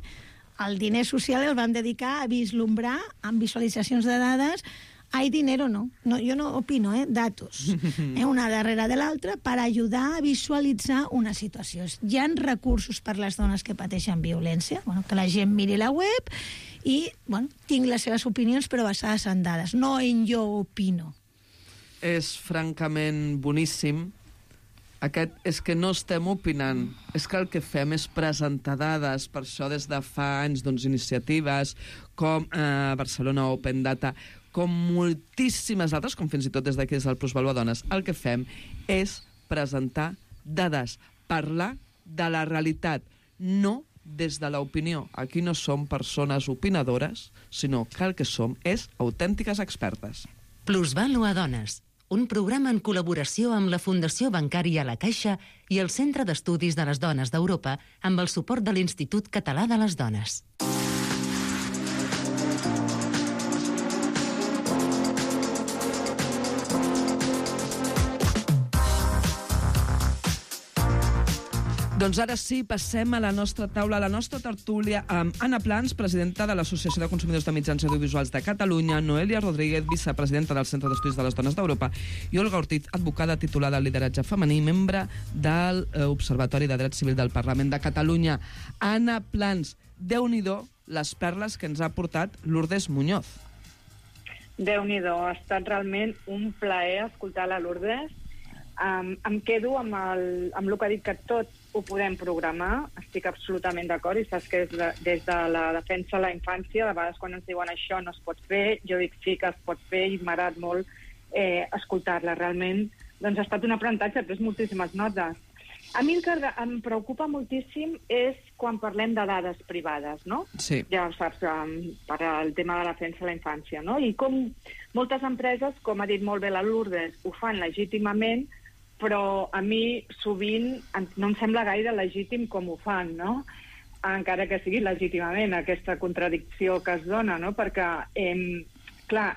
el diner social el vam dedicar a vislumbrar amb visualitzacions de dades. Hay dinero, no. no yo no opino, eh? Datos. Eh? Una darrere de l'altra per ajudar a visualitzar una situació. Hi ha recursos per les dones que pateixen violència, bueno, que la gent miri la web i, bueno, tinc les seves opinions però basades en dades, no en jo opino. És francament boníssim. Aquest és que no estem opinant, és que el que fem és presentar dades, per això des de fa anys doncs, iniciatives com eh, Barcelona Open Data, com moltíssimes altres, com fins i tot des d'aquí des del Plusvalua Dones, el que fem és presentar dades, parlar de la realitat, no des de l'opinió. Aquí no som persones opinadores, sinó que el que som és autèntiques expertes. Plusvalua Dones, un programa en col·laboració amb la Fundació Bancària La Caixa i el Centre d'Estudis de les Dones d'Europa amb el suport de l'Institut Català de les Dones. Doncs ara sí, passem a la nostra taula, a la nostra tertúlia, amb Anna Plans, presidenta de l'Associació de Consumidors de Mitjans Audiovisuals de Catalunya, Noelia Rodríguez, vicepresidenta del Centre d'Estudis de les Dones d'Europa, i Olga Ortiz, advocada titulada al lideratge femení, membre del eh, Observatori de Dret Civil del Parlament de Catalunya. Anna Plans, Déu-n'hi-do les perles que ens ha portat Lourdes Muñoz. Déu-n'hi-do, ha estat realment un plaer escoltar la Lourdes. Um, em quedo amb el, amb el que ha dit, que tot ho podem programar, estic absolutament d'acord, i saps que des de, des de la defensa de la infància, de vegades quan ens diuen això no es pot fer, jo dic sí que es pot fer, i m'ha agradat molt eh, escoltar-la. Realment doncs ha estat un aprenentatge, he pres moltíssimes notes. A mi el que em preocupa moltíssim és quan parlem de dades privades, no? Sí. Ja ho saps, um, per al tema de la defensa de la infància, no? I com moltes empreses, com ha dit molt bé la Lourdes, ho fan legítimament, però a mi sovint no em sembla gaire legítim com ho fan, no? Encara que sigui legítimament aquesta contradicció que es dona, no? Perquè, eh, clar,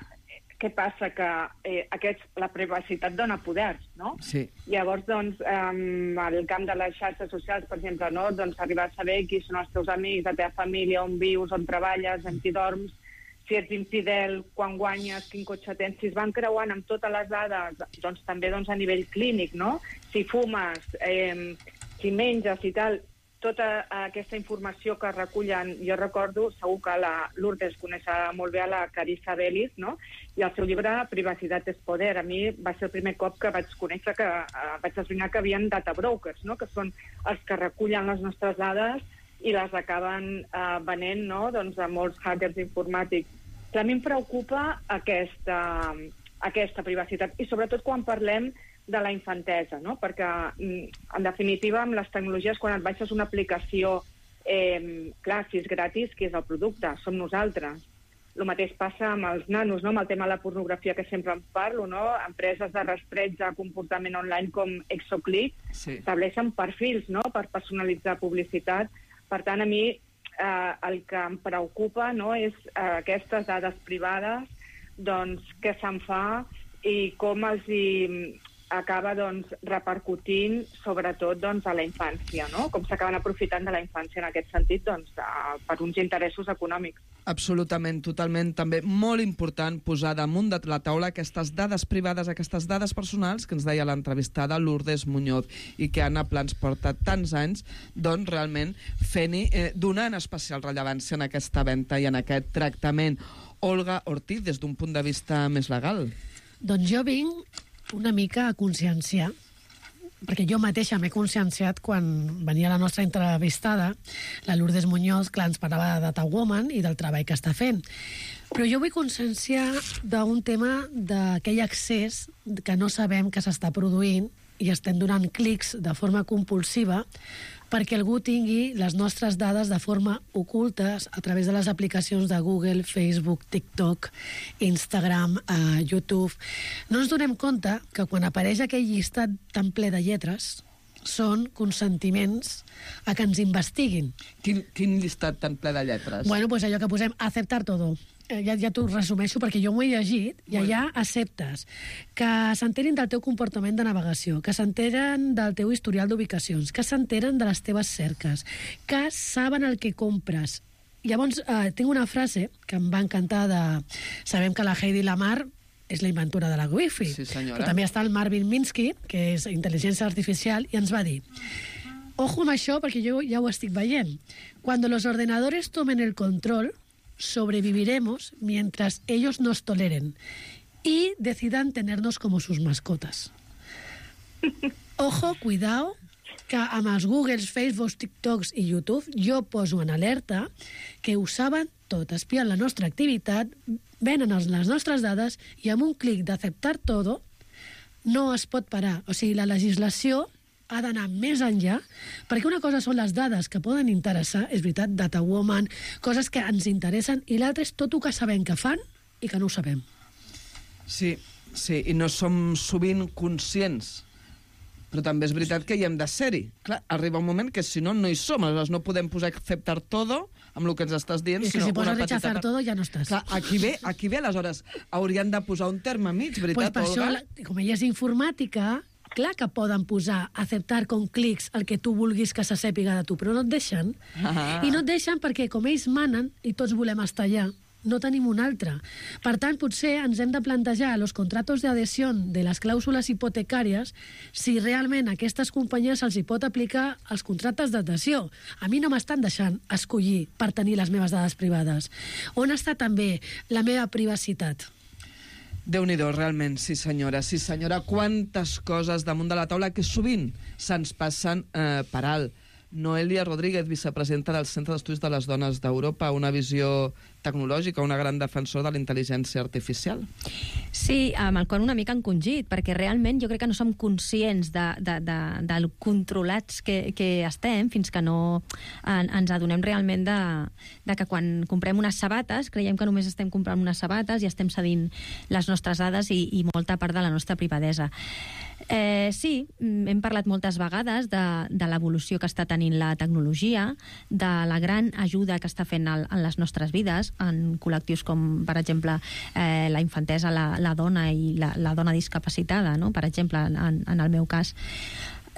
què passa? Que eh, aquests, la privacitat dona poders, no? Sí. Llavors, doncs, eh, al camp de les xarxes socials, per exemple, no? Doncs arribar a saber qui són els teus amics, la teva família, on vius, on treballes, amb qui dorms, si ets infidel, quan guanyes, quin cotxe tens, si es van creuant amb totes les dades, doncs també doncs, a nivell clínic, no? Si fumes, eh, si menges i tal, tota aquesta informació que recullen, jo recordo, segur que la Lourdes coneixerà molt bé a la Carissa Bellis, no? I el seu llibre Privacitat és poder. A mi va ser el primer cop que vaig conèixer, que eh, vaig esbrinar que havien data brokers, no? Que són els que recullen les nostres dades i les acaben eh, venent, no? Doncs a molts hackers informàtics. A mi em preocupa aquesta, aquesta privacitat, i sobretot quan parlem de la infantesa, no? Perquè, en definitiva, amb les tecnologies, quan et baixes una aplicació, eh, clar, si és gratis, qui és el producte? Som nosaltres. El mateix passa amb els nanos, no? Amb el tema de la pornografia, que sempre en parlo, no? Empreses de rastreig de comportament online com Exoclick sí. estableixen perfils, no? Per personalitzar publicitat. Per tant, a mi eh, el que em preocupa, no? És eh, aquestes dades privades, doncs, què se'n fa i com els hi acaba doncs, repercutint sobretot doncs, a la infància, no? Com s'acaben aprofitant de la infància en aquest sentit doncs, a, per uns interessos econòmics. Absolutament, totalment. També molt important posar damunt de la taula aquestes dades privades, aquestes dades personals que ens deia l'entrevistada Lourdes Muñoz i que Anna Plans porta tants anys doncs, realment fent-hi, eh, donant especial rellevància en aquesta venda i en aquest tractament. Olga Ortiz, des d'un punt de vista més legal. Doncs jo vinc una mica a conscienciar, perquè jo mateixa m'he conscienciat quan venia la nostra entrevistada, la Lourdes Muñoz, clar, ens parlava de Data Woman i del treball que està fent. Però jo vull conscienciar d'un tema d'aquell accés que no sabem que s'està produint i estem donant clics de forma compulsiva perquè algú tingui les nostres dades de forma ocultes a través de les aplicacions de Google, Facebook, TikTok, Instagram, eh, YouTube. No ens donem compte que quan apareix aquell llistat tan ple de lletres són consentiments a que ens investiguin. Quin, quin llistat tan ple de lletres? Bueno, pues allò que posem aceptar todo. Ja, ja t'ho resumeixo perquè jo m'ho he llegit i allà acceptes que s'enterin del teu comportament de navegació, que s'enteren del teu historial d'ubicacions, que s'enteren de les teves cerques, que saben el que compres. Llavors, eh, tinc una frase que em va encantar de... Sabem que la Heidi Lamar és la inventora de la Wi-Fi, sí, senyora. Però també està el Marvin Minsky, que és intel·ligència artificial, i ens va dir: ojo amb això perquè jo ja ho estic veient. Cuando los ordenadores tomen el control, sobreviviremos mientras ellos nos toleren y decidan tenernos como sus mascotas. Ojo, cuidao, que amb els Googles, Facebooks, TikToks i YouTube jo poso en alerta que ho saben tot, espien la nostra activitat, venen les nostres dades i amb un clic d'acceptar todo no es pot parar. O sigui, la legislació ha d'anar més enllà, perquè una cosa són les dades que poden interessar, és veritat, Data Woman, coses que ens interessen, i l'altra és tot el que sabem que fan i que no ho sabem. Sí, sí, i no som sovint conscients, però també és veritat que hi hem de ser-hi. Clar, arriba un moment que si no, no hi som, aleshores no podem posar acceptar todo amb el que ens estàs dient. És que si poses rechazar petita... todo ja no estàs. Clar, aquí ve, aquí ve, aleshores, haurien de posar un terme mig, veritat, pues per Olga? això, com ella és informàtica, clar que poden posar acceptar con clics el que tu vulguis que se sàpiga de tu, però no et deixen. Ah. I no et deixen perquè, com ells manen, i tots volem estar allà, no tenim un altre. Per tant, potser ens hem de plantejar los contratos de adhesión de les clàusules hipotecàries si realment a aquestes companyies se'ls hi pot aplicar els contractes d'adhesió. A mi no m'estan deixant escollir per tenir les meves dades privades. On està també la meva privacitat? Déu-n'hi-do, realment, sí senyora, sí senyora. Quantes coses damunt de la taula que sovint se'ns passen eh, per alt. Noelia Rodríguez, vicepresidenta del Centre d'Estudis de les Dones d'Europa, una visió tecnològica, una gran defensor de la intel·ligència artificial. Sí, amb el cor una mica encongit, perquè realment jo crec que no som conscients de, de, de, del controlats que, que estem fins que no en, ens adonem realment de, de que quan comprem unes sabates creiem que només estem comprant unes sabates i estem cedint les nostres dades i, i molta part de la nostra privadesa. Eh, sí, hem parlat moltes vegades de, de l'evolució que està tenint la tecnologia, de la gran ajuda que està fent el, en les nostres vides, en col·lectius com, per exemple, eh, la infantesa, la, la dona i la, la dona discapacitada, no? Per exemple, en, en el meu cas.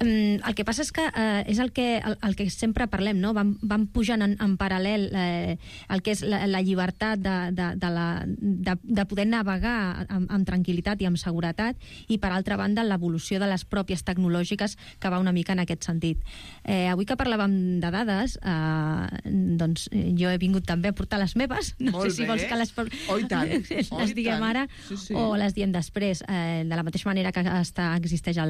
Mm, el que passa és que eh, és el que, el, el que sempre parlem, no? Vam, vam pujant en, en paral·lel eh, el que és la, la llibertat de, de, de, la, de, de poder navegar amb, amb tranquil·litat i amb seguretat, i per altra banda l'evolució de les pròpies tecnològiques que va una mica en aquest sentit. Eh, avui que parlàvem de dades, eh, doncs jo he vingut també a portar les meves, no Molt sé si bé. vols que les, Oh, tant. les Oh, diguem ara sí, sí. o les diem després, eh, de la mateixa manera que està, existeix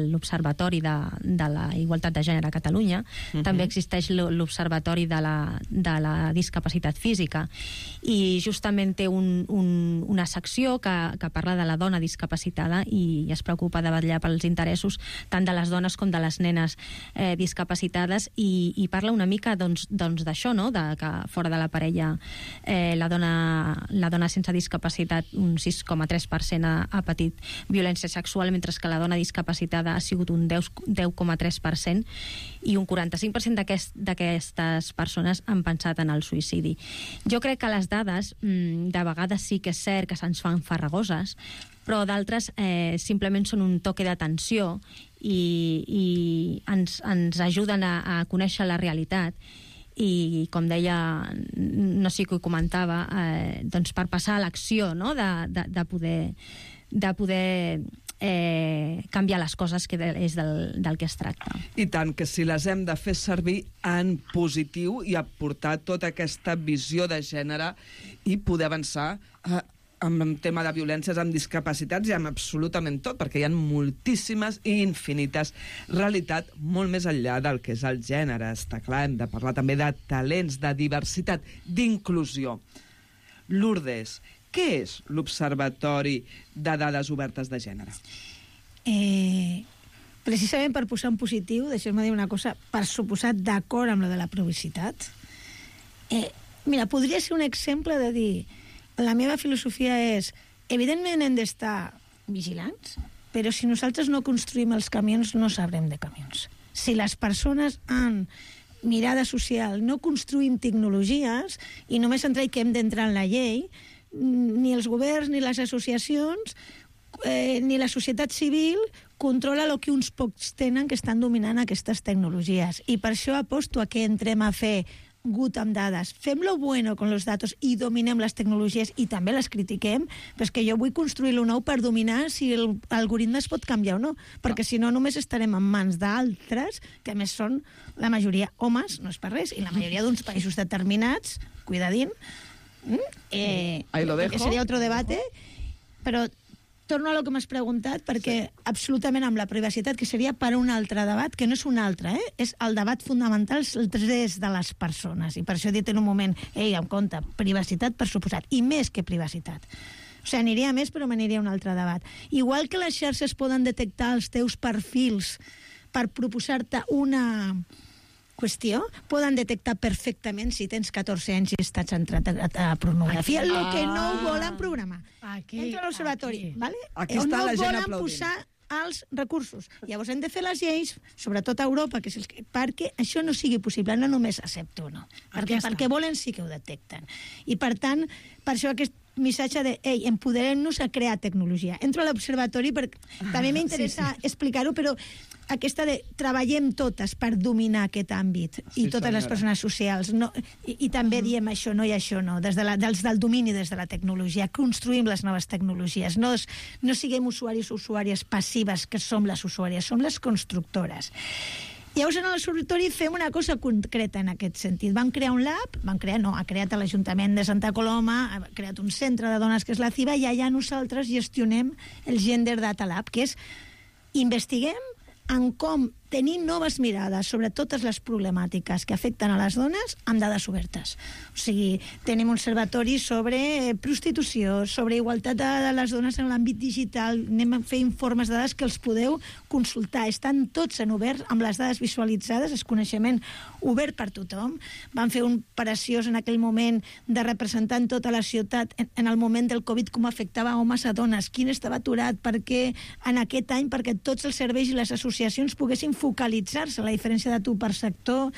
l'Observatori de de la igualtat de gènere a Catalunya. Uh-huh. També existeix l'Observatori de, la, de la discapacitat física, i justament té un, un, una secció que, que parla de la dona discapacitada i es preocupa de vetllar pels interessos tant de les dones com de les nenes eh, discapacitades, i, i parla una mica doncs, doncs d'això, no? De que fora de la parella eh, la, dona, la dona sense discapacitat un sis coma tres per cent ha, ha patit violència sexual, mentre que la dona discapacitada ha sigut un deu coma tres per cent, i un quaranta-cinc per cent d'aquestes persones han pensat en el suïcidi. Jo crec que les dades, de vegades sí que és cert que se'ns fan farragoses, però d'altres eh, simplement són un toque d'atenció i, i ens, ens ajuden a, a conèixer la realitat. I, com deia, no sé qui ho comentava, eh, doncs per passar a l'acció, no? de, de, de poder, de poder eh, canviar les coses, que és del, del que es tracta. I tant, que si les hem de fer servir en positiu i aportar tota aquesta visió de gènere i poder avançar eh, en tema de violències amb discapacitats i amb absolutament tot, perquè hi ha moltíssimes i infinites realitats molt més enllà del que és el gènere. Està clar, hem de parlar també de talents, de diversitat, d'inclusió. Lourdes, què és l'Observatori de Dades Obertes de Gènere? Eh, precisament per posar en positiu, deixeu-me dir una cosa, per suposat d'acord amb lo de la privacitat. Eh, mira, podria ser un exemple de dir la meva filosofia és, evidentment hem d'estar vigilants, però si nosaltres no construïm els camions, no sabrem de camions. Si les persones han mirada social, no construïm tecnologies i només entra que hem d'entrar en la llei, ni els governs, ni les associacions, eh, ni la societat civil controla el que uns pocs tenen que estan dominant aquestes tecnologies. I per això aposto a que entrem a fer gut amb dades. Fem lo bueno con los datos i dominem les tecnologies i també les critiquem, però és que jo vull construir lo nou per dominar si l'algoritme es pot canviar o no, perquè si no només estarem en mans d'altres, que a més són la majoria homes, no és per res, i la majoria d'uns països determinats, cuidadín, eh, Ahí lo dejo. Que seria otro debate, però torno a lo que m'has preguntat, perquè sí, absolutament amb la privacitat, que seria per un altre debat, que no és un altre, eh? És el debat fonamental, els drets de les persones. I per això he dit en un moment, ei, en compte, privacitat per suposat, i més que privacitat. O sigui, aniria més, però m'aniria a un altre debat. Igual que les xarxes poden detectar els teus perfils per proposar-te una qüestió, poden detectar perfectament si tens catorze anys i estàs entrat a, a, a pornografia, el que no volen programar. Aquí, entra a l'observatori, ¿vale? Aquí està no la gent volen aplaudint. posar els recursos. Llavors hem de fer les lleis, sobretot a Europa, que és el que, perquè això no sigui possible, no només accepto, no. Perquè, perquè volen sí que ho detecten. I per tant, per això aquest, missatge de, ei, empoderem-nos a crear tecnologia. Entro a l'observatori perquè també m'interessa sí, sí. explicar-ho, però aquesta de treballem totes per dominar aquest àmbit sí, i totes senyora. les persones socials no, i, i també mm. diem això no i això no, des, de la, des del domini des de la tecnologia, construïm les noves tecnologies, no, no siguem usuaris o usuàries passives que som les usuàries, som les constructores. Llavors, en l'observatori fem una cosa concreta en aquest sentit. Vam crear un lab, vam crear, no, ha creat l'Ajuntament de Santa Coloma, ha creat un centre de dones que és la C I B A, i allà nosaltres gestionem el Gender Data Lab, que és investiguem en com tenir noves mirades sobre totes les problemàtiques que afecten a les dones amb dades obertes. O sigui, tenim un observatori sobre prostitució, sobre igualtat de les dones en l'àmbit digital, anem a fer informes de dades que els podeu consultar. Estan tots en obert, amb les dades visualitzades, el coneixement obert per tothom. Van fer un preciós en aquell moment de representar en tota la ciutat, en el moment del Covid, com afectava homes a dones, quin estava aturat, per què en aquest any, perquè tots els serveis i les associacions poguessin focalitzar-se, la diferència d'atur per sector,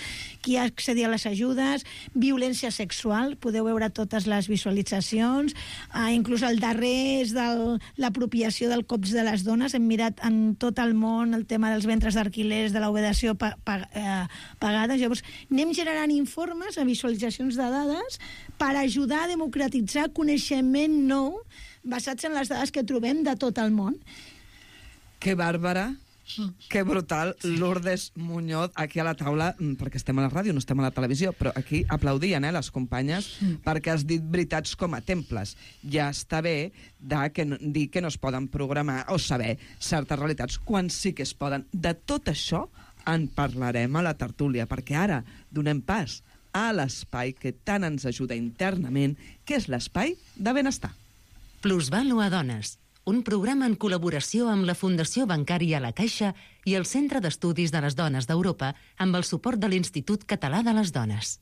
qui ha accedit a les ajudes, violència sexual, podeu veure totes les visualitzacions, eh, inclús el darrer és de l'apropiació del cops de les dones, hem mirat en tot el món el tema dels ventres d'alquilers, de l'obedació pa, pa, eh, pagada. Llavors, anem generant informes a visualitzacions de dades per ajudar a democratitzar coneixement nou basats en les dades que trobem de tot el món. Que bàrbara, que brutal. Lourdes Muñoz, aquí a la taula, perquè estem a la ràdio, no estem a la televisió, però aquí aplaudien, eh, les companyes, perquè has dit veritats com a temples. Ja està bé de que no, dir que no es poden programar o saber certes realitats, quan sí que es poden. De tot això en parlarem a la tertúlia, perquè ara donem pas a l'espai que tant ens ajuda internament, que és l'espai de benestar. Plusvàlua Dones, un programa en col·laboració amb la Fundació Bancària La Caixa i el Centre d'Estudis de les Dones d'Europa amb el suport de l'Institut Català de les Dones.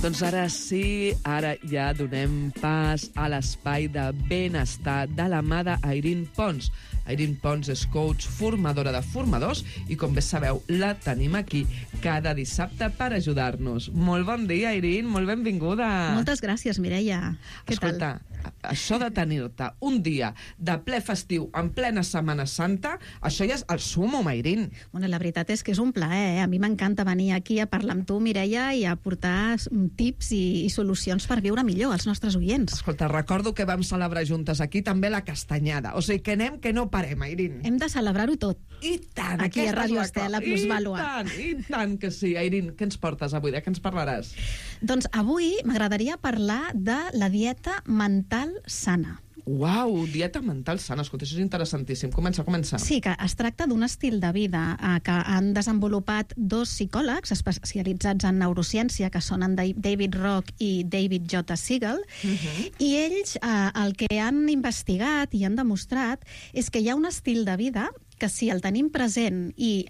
Doncs ara sí, ara ja donem pas a l'espai de benestar de la mà d'Airín Pons. Airín Pons és coach, formadora de formadors i, com bé sabeu, la tenim aquí cada dissabte per ajudar-nos. Molt bon dia, Airín, molt benvinguda. Moltes gràcies, Mireia. Què Escolta, tal? Això de tenir-te un dia de ple festiu en plena Setmana Santa, això ja és el súmmum, Airín. Bueno, la veritat és que és un plaer, eh? A mi m'encanta venir aquí a parlar amb tu, Mireia, i a aportar tips i, i solucions per viure millor als nostres oients. Escolta, recordo que vam celebrar juntes aquí també la castanyada. O sigui, que anem que no parem, Airín. Hem de celebrar-ho tot. I tant, aquí a Ràdio Estel, a Plusvàlua. I tant, i tant que sí. Airín, què ens portes avui? De què ens parlaràs? Doncs avui m'agradaria parlar de la dieta mental sana. Uau, dieta mental sana. Escolta, això és interessantíssim. Comença, comença. Sí, que es tracta d'un estil de vida eh, que han desenvolupat dos psicòlegs especialitzats en neurociència, que són en David Rock i David J. Siegel, uh-huh. i ells eh, el que han investigat i han demostrat és que hi ha un estil de vida que si el tenim present i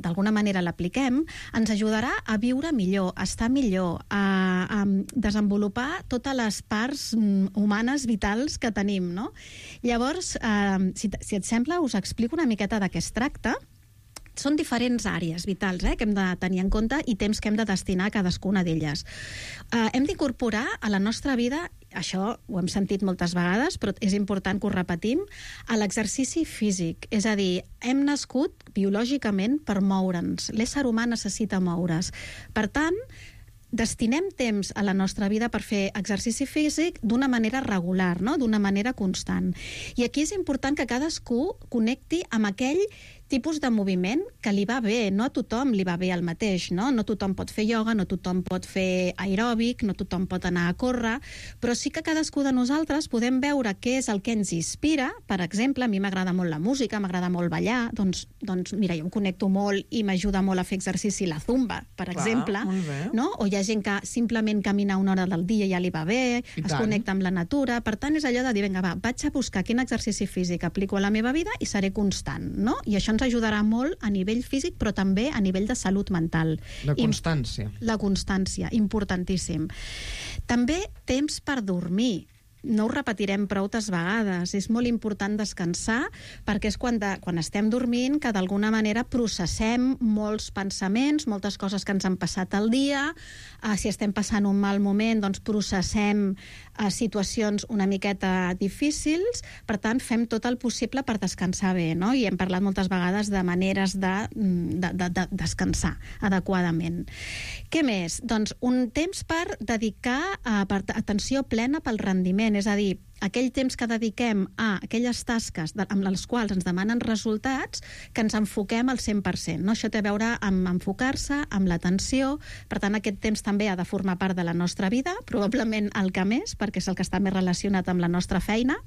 d'alguna manera l'apliquem, ens ajudarà a viure millor, a estar millor, a, a desenvolupar totes les parts humanes vitals que tenim, no? Llavors, eh, si, si et sembla, us explico una miqueta de què es tracta. Són diferents àrees vitals eh, que hem de tenir en compte i temps que hem de destinar a cadascuna d'elles. Eh, hem d'incorporar a la nostra vida, això ho hem sentit moltes vegades, però és important que ho repetim, a l'exercici físic. És a dir, hem nascut biològicament per moure'ns. L'ésser humà necessita moure's. Per tant, destinem temps a la nostra vida per fer exercici físic d'una manera regular, no? D'una manera constant. I aquí és important que cadascú connecti amb aquell tipus de moviment que li va bé. No a tothom li va bé el mateix, no? No tothom pot fer ioga, no tothom pot fer aeròbic, no tothom pot anar a córrer, però sí que cadascú de nosaltres podem veure què és el que ens inspira. Per exemple, a mi m'agrada molt la música, m'agrada molt ballar, doncs, doncs mira, jo em connecto molt i m'ajuda molt a fer exercici la zumba, per Clar, exemple, no? O hi ha gent que simplement caminar una hora del dia ja li va bé, I es tant. connecta amb la natura, per tant és allò de dir, vinga, va, vaig a buscar quin exercici físic aplico a la meva vida i seré constant, no? I això ens ajudarà molt a nivell físic, però també a nivell de salut mental. La constància. La constància, importantíssim. També temps per dormir. no ho repetirem proutes vegades. És molt important descansar perquè és quan, de, quan estem dormint que d'alguna manera processem molts pensaments, moltes coses que ens han passat al dia. Uh, si estem passant un mal moment, doncs processem uh, situacions una miqueta difícils. Per tant, fem tot el possible per descansar bé, no? I hem parlat moltes vegades de maneres de, de, de, de descansar adequadament. Què més? Doncs un temps per dedicar uh, per atenció plena pel rendiment, és a dir, aquell temps que dediquem a aquelles tasques de, amb les quals ens demanen resultats, que ens enfoquem al cent per cent. No? Això té a veure amb enfocar-se, amb l'atenció. Per tant, aquest temps també ha de formar part de la nostra vida, probablement el que més, perquè és el que està més relacionat amb la nostra feina.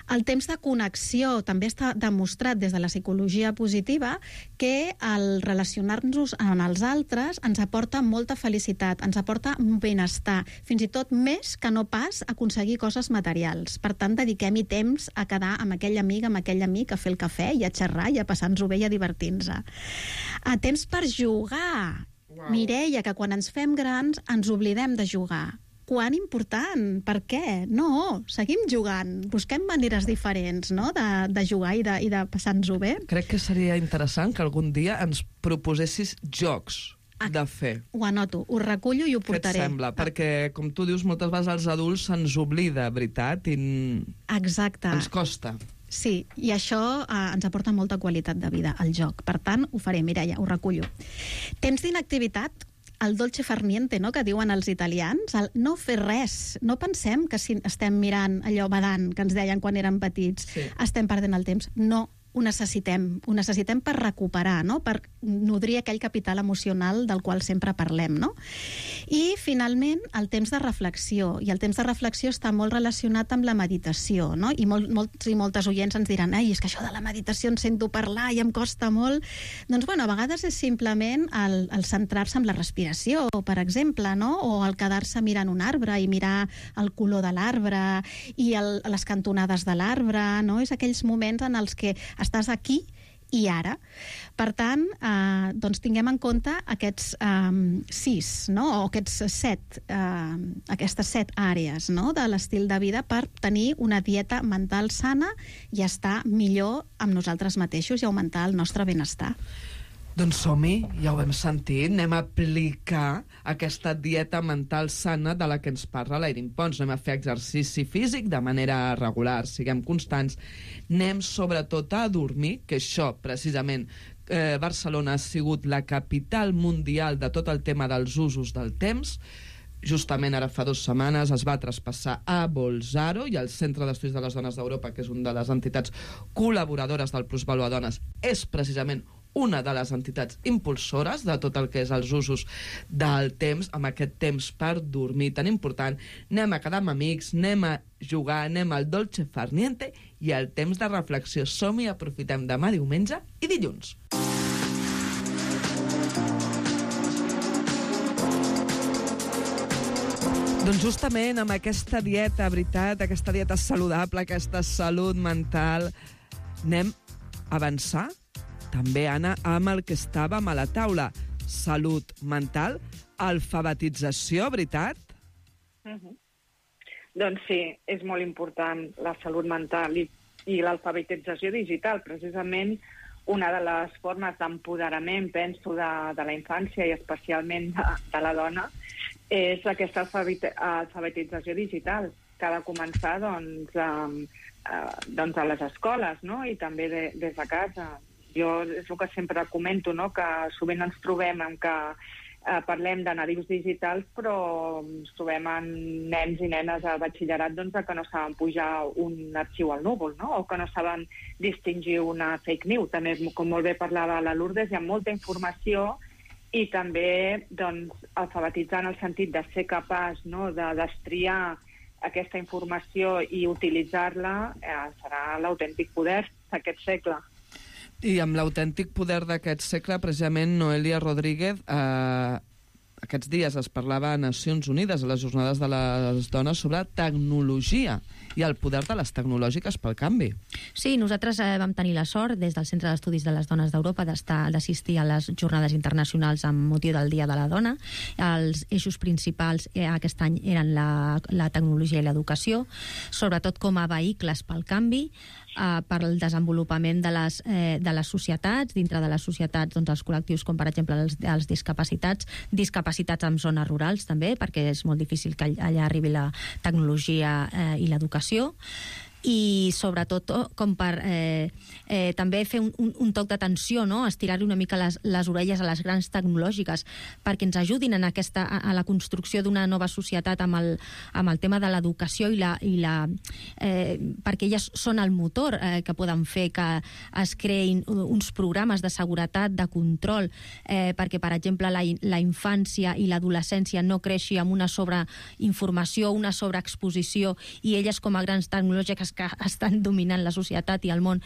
El temps de connexió també està demostrat des de la psicologia positiva que el relacionar-nos amb els altres ens aporta molta felicitat, ens aporta un benestar, fins i tot més que no pas aconseguir coses materials. Per tant, dediquem-hi temps a quedar amb aquell amic, amb aquell amic, a fer el cafè i a xerrar i a passar-nos-ho bé i a divertir-nos. A temps per jugar. Wow. Mireia, que quan ens fem grans ens oblidem de jugar. Quan important? Per què? No, seguim jugant. Busquem maneres diferents, no?, de, de jugar i de, i de passar-nos-ho bé. Crec que seria interessant que algun dia ens proposessis jocs de fer. Ho anoto, ho recullo i ho portaré. Què et sembla? Perquè, com tu dius, moltes vegades els adults se'ns oblida, veritat? I exacte. Ens costa. Sí, i això eh, ens aporta molta qualitat de vida, el joc. Per tant, ho faré, Mireia, ho recullo. Temps d'inactivitat, el dolce far niente, no?, que diuen els italians, el no fer res. No pensem que si estem mirant allò badant que ens deien quan érem petits, sí, estem perdent el temps. No, ho necessitem. Ho necessitem per recuperar, no?, per nodrir aquell capital emocional del qual sempre parlem, no? I, finalment, el temps de reflexió. I el temps de reflexió està molt relacionat amb la meditació, no? I molt, molts i moltes oients ens diran «Ai, és que això de la meditació en sento parlar i em costa molt». Doncs, bueno, a vegades és simplement el, el centrar-se en la respiració, per exemple, no? O el quedar-se mirant un arbre i mirar el color de l'arbre i el, les cantonades de l'arbre, no? És aquells moments en els que estàs aquí i ara. Per tant, eh, doncs tinguem en compte aquests eh, sis, no?, o aquests set, eh, aquestes set àrees, no?, de l'estil de vida per tenir una dieta mental sana i estar millor amb nosaltres mateixos i augmentar el nostre benestar. Doncs som-hi, ja ho hem sentit, anem a aplicar aquesta dieta mental sana de la que ens parla l'Eirin Pons. Anem a fer exercici físic de manera regular, siguem constants. Anem sobretot a dormir, que això, precisament, eh, Barcelona ha sigut la capital mundial de tot el tema dels usos del temps. Justament ara fa dues setmanes es va traspassar a Bolzaro i el Centre d'Estudis de les Dones d'Europa, que és una de les entitats col·laboradores del Plusvalor a Dones, és precisament una de les entitats impulsores de tot el que és els usos del temps, amb aquest temps per dormir tan important. Anem a quedar amb amics, anem a jugar, anem al dolce far niente i el temps de reflexió. Som-hi, aprofitem demà diumenge i dilluns. Doncs justament amb aquesta dieta, veritat, aquesta dieta saludable, aquesta salut mental, anem a avançar també, Anna, amb el que estàvem a la taula. Salut mental, alfabetització, veritat? Uh-huh. Doncs sí, és molt important la salut mental i, i l'alfabetització digital. Precisament una de les formes d'empoderament, penso, de, de la infància i especialment de, de la dona, és aquesta alfabetització digital, que ha de començar doncs, eh, eh, doncs a les escoles, no?, i també de, des de casa. Jo és el que sempre comento, no?, que sovint ens trobem en que eh, parlem de nadius digitals, però ens trobem en nens i nenes a batxillerat doncs, que no saben pujar un arxiu al núvol, no?, o que no saben distingir una fake news. També, com molt bé parlava la Lourdes, hi ha molta informació i també doncs, alfabetitzar en el sentit de ser capaç, no?, de destriar aquesta informació i utilitzar-la eh, serà l'autèntic poder d'aquest segle. I amb l'autèntic poder d'aquest segle, precisament, Noelia Rodríguez, eh, aquests dies es parlava a Nacions Unides, a les jornades de les dones, sobre tecnologia i el poder de les tecnològiques pel canvi. Sí, nosaltres eh, vam tenir la sort, des del Centre d'Estudis de les Dones d'Europa, d'assistir a les jornades internacionals amb motiu del Dia de la Dona. Els eixos principals eh, aquest any eren la, la tecnologia i l'educació, sobretot com a vehicles pel canvi, eh, per al desenvolupament de les, eh, de les societats, dintre de les societats, doncs, els col·lectius com, per exemple, els, els discapacitats, discapacitats en zones rurals, també, perquè és molt difícil que allà arribi la tecnologia eh, i l'educació, i sobretot com per eh, eh, també fer un, un, un toc d'atenció, no? Estirar-li una mica les, les orelles a les grans tecnològiques perquè ens ajudin en aquesta, a, a la construcció d'una nova societat amb el, amb el tema de l'educació i la, i la eh, perquè elles són el motor eh, que poden fer que es creïn uns programes de seguretat, de control, eh, perquè, per exemple, la, la infància i l'adolescència no creixi amb una sobreinformació, una sobreexposició, i elles com a grans tecnològiques que estan dominant la societat i el món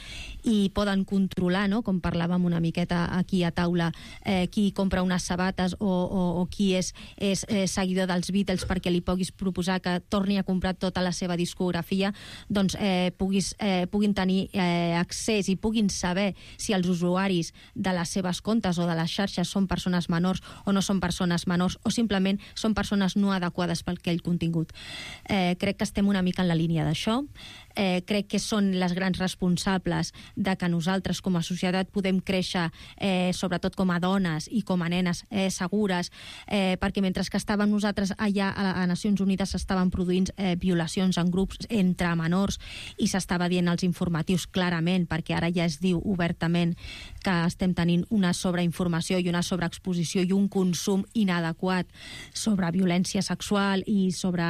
i poden controlar, no? Com parlàvem una miqueta aquí a taula, eh, qui compra unes sabates o, o, o qui és, és eh, seguidor dels Beatles perquè li puguis proposar que torni a comprar tota la seva discografia, doncs eh, puguis, eh, puguin tenir eh, accés i puguin saber si els usuaris de les seves comptes o de les xarxes són persones menors o no són persones menors o simplement són persones no adequades per aquell contingut. Eh, crec que estem una mica en la línia d'això. Eh, crec que són les grans responsables de que nosaltres com a societat podem créixer, eh, sobretot com a dones i com a nenes eh, segures, eh, perquè mentre que estàvem nosaltres allà a, a Nacions Unides s'estaven produint eh, violacions en grups entre menors i s'estava dient als informatius clarament, perquè ara ja es diu obertament que estem tenint una sobreinformació i una sobreexposició i un consum inadequat sobre violència sexual i sobre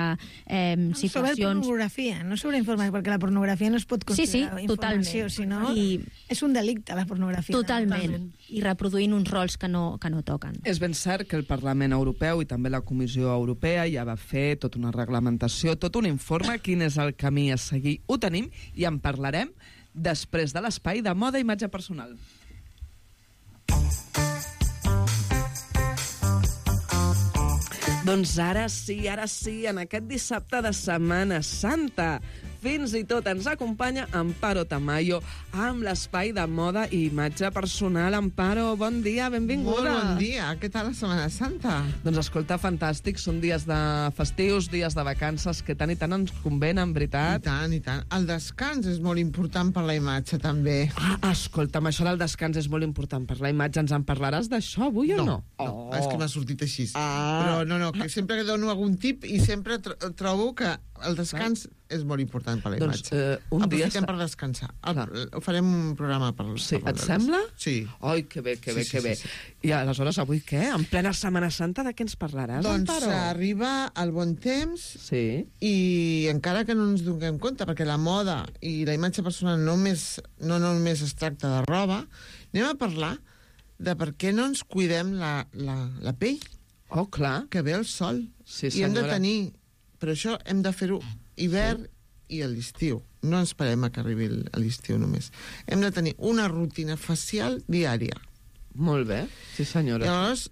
eh, situacions... Sobre pornografia, no sobre informació, perquè la pornografia no es pot considerar sí, sí, informació, sinó I... és un delicte, la pornografia. Totalment, totalment. I reproduint uns rols que no, que no toquen. És ben cert que el Parlament Europeu i també la Comissió Europea ja va fer tota una reglamentació, tot un informe, quin és el camí a seguir. Ho tenim i en parlarem després de l'espai de moda i imatge personal. Doncs ara sí, ara sí, en aquest dissabte de Setmana Santa, fins i tot ens acompanya Amparo Tamayo amb l'espai de moda i imatge personal. Amparo, bon dia, benvinguda. Molt bon dia, què tal la Setmana Santa? Doncs escolta, fantàstic, són dies de festius, dies de vacances, que tant i tant ens convenen, veritat? I tant, i tant. El descans és molt important per la imatge, també. Ah, escolta'm, això del descans és molt important per la imatge. Ens en parlaràs d'això avui o no? No, no, oh. és que m'ha sortit així. Ah. Però no, no, que sempre que dono algun tip i sempre tro trobo que el descans ah. és molt important per la doncs, imatge. Eh, un Aprofitem dia... per descansar. El, farem un programa per... Sí, per et sembla? Sí. Ai, que bé, que bé, sí, que sí, bé. Sí, sí. I aleshores avui què? En plena Setmana Santa de què ens parlaràs, doncs Amparo? arriba el bon temps sí. i encara que no ens donem compte, perquè la moda i la imatge personal només, no només es tracta de roba, anem a parlar de per què no ens cuidem la, la, la pell. Oh, clar. Que ve el sol. Sí, I hem de senyora. tenir... Per això hem de fer-ho hivern sí. i a l'estiu. No ens esperem a que arribi a l'estiu només. Hem de tenir una rutina facial diària. Molt bé, sí senyora. I llavors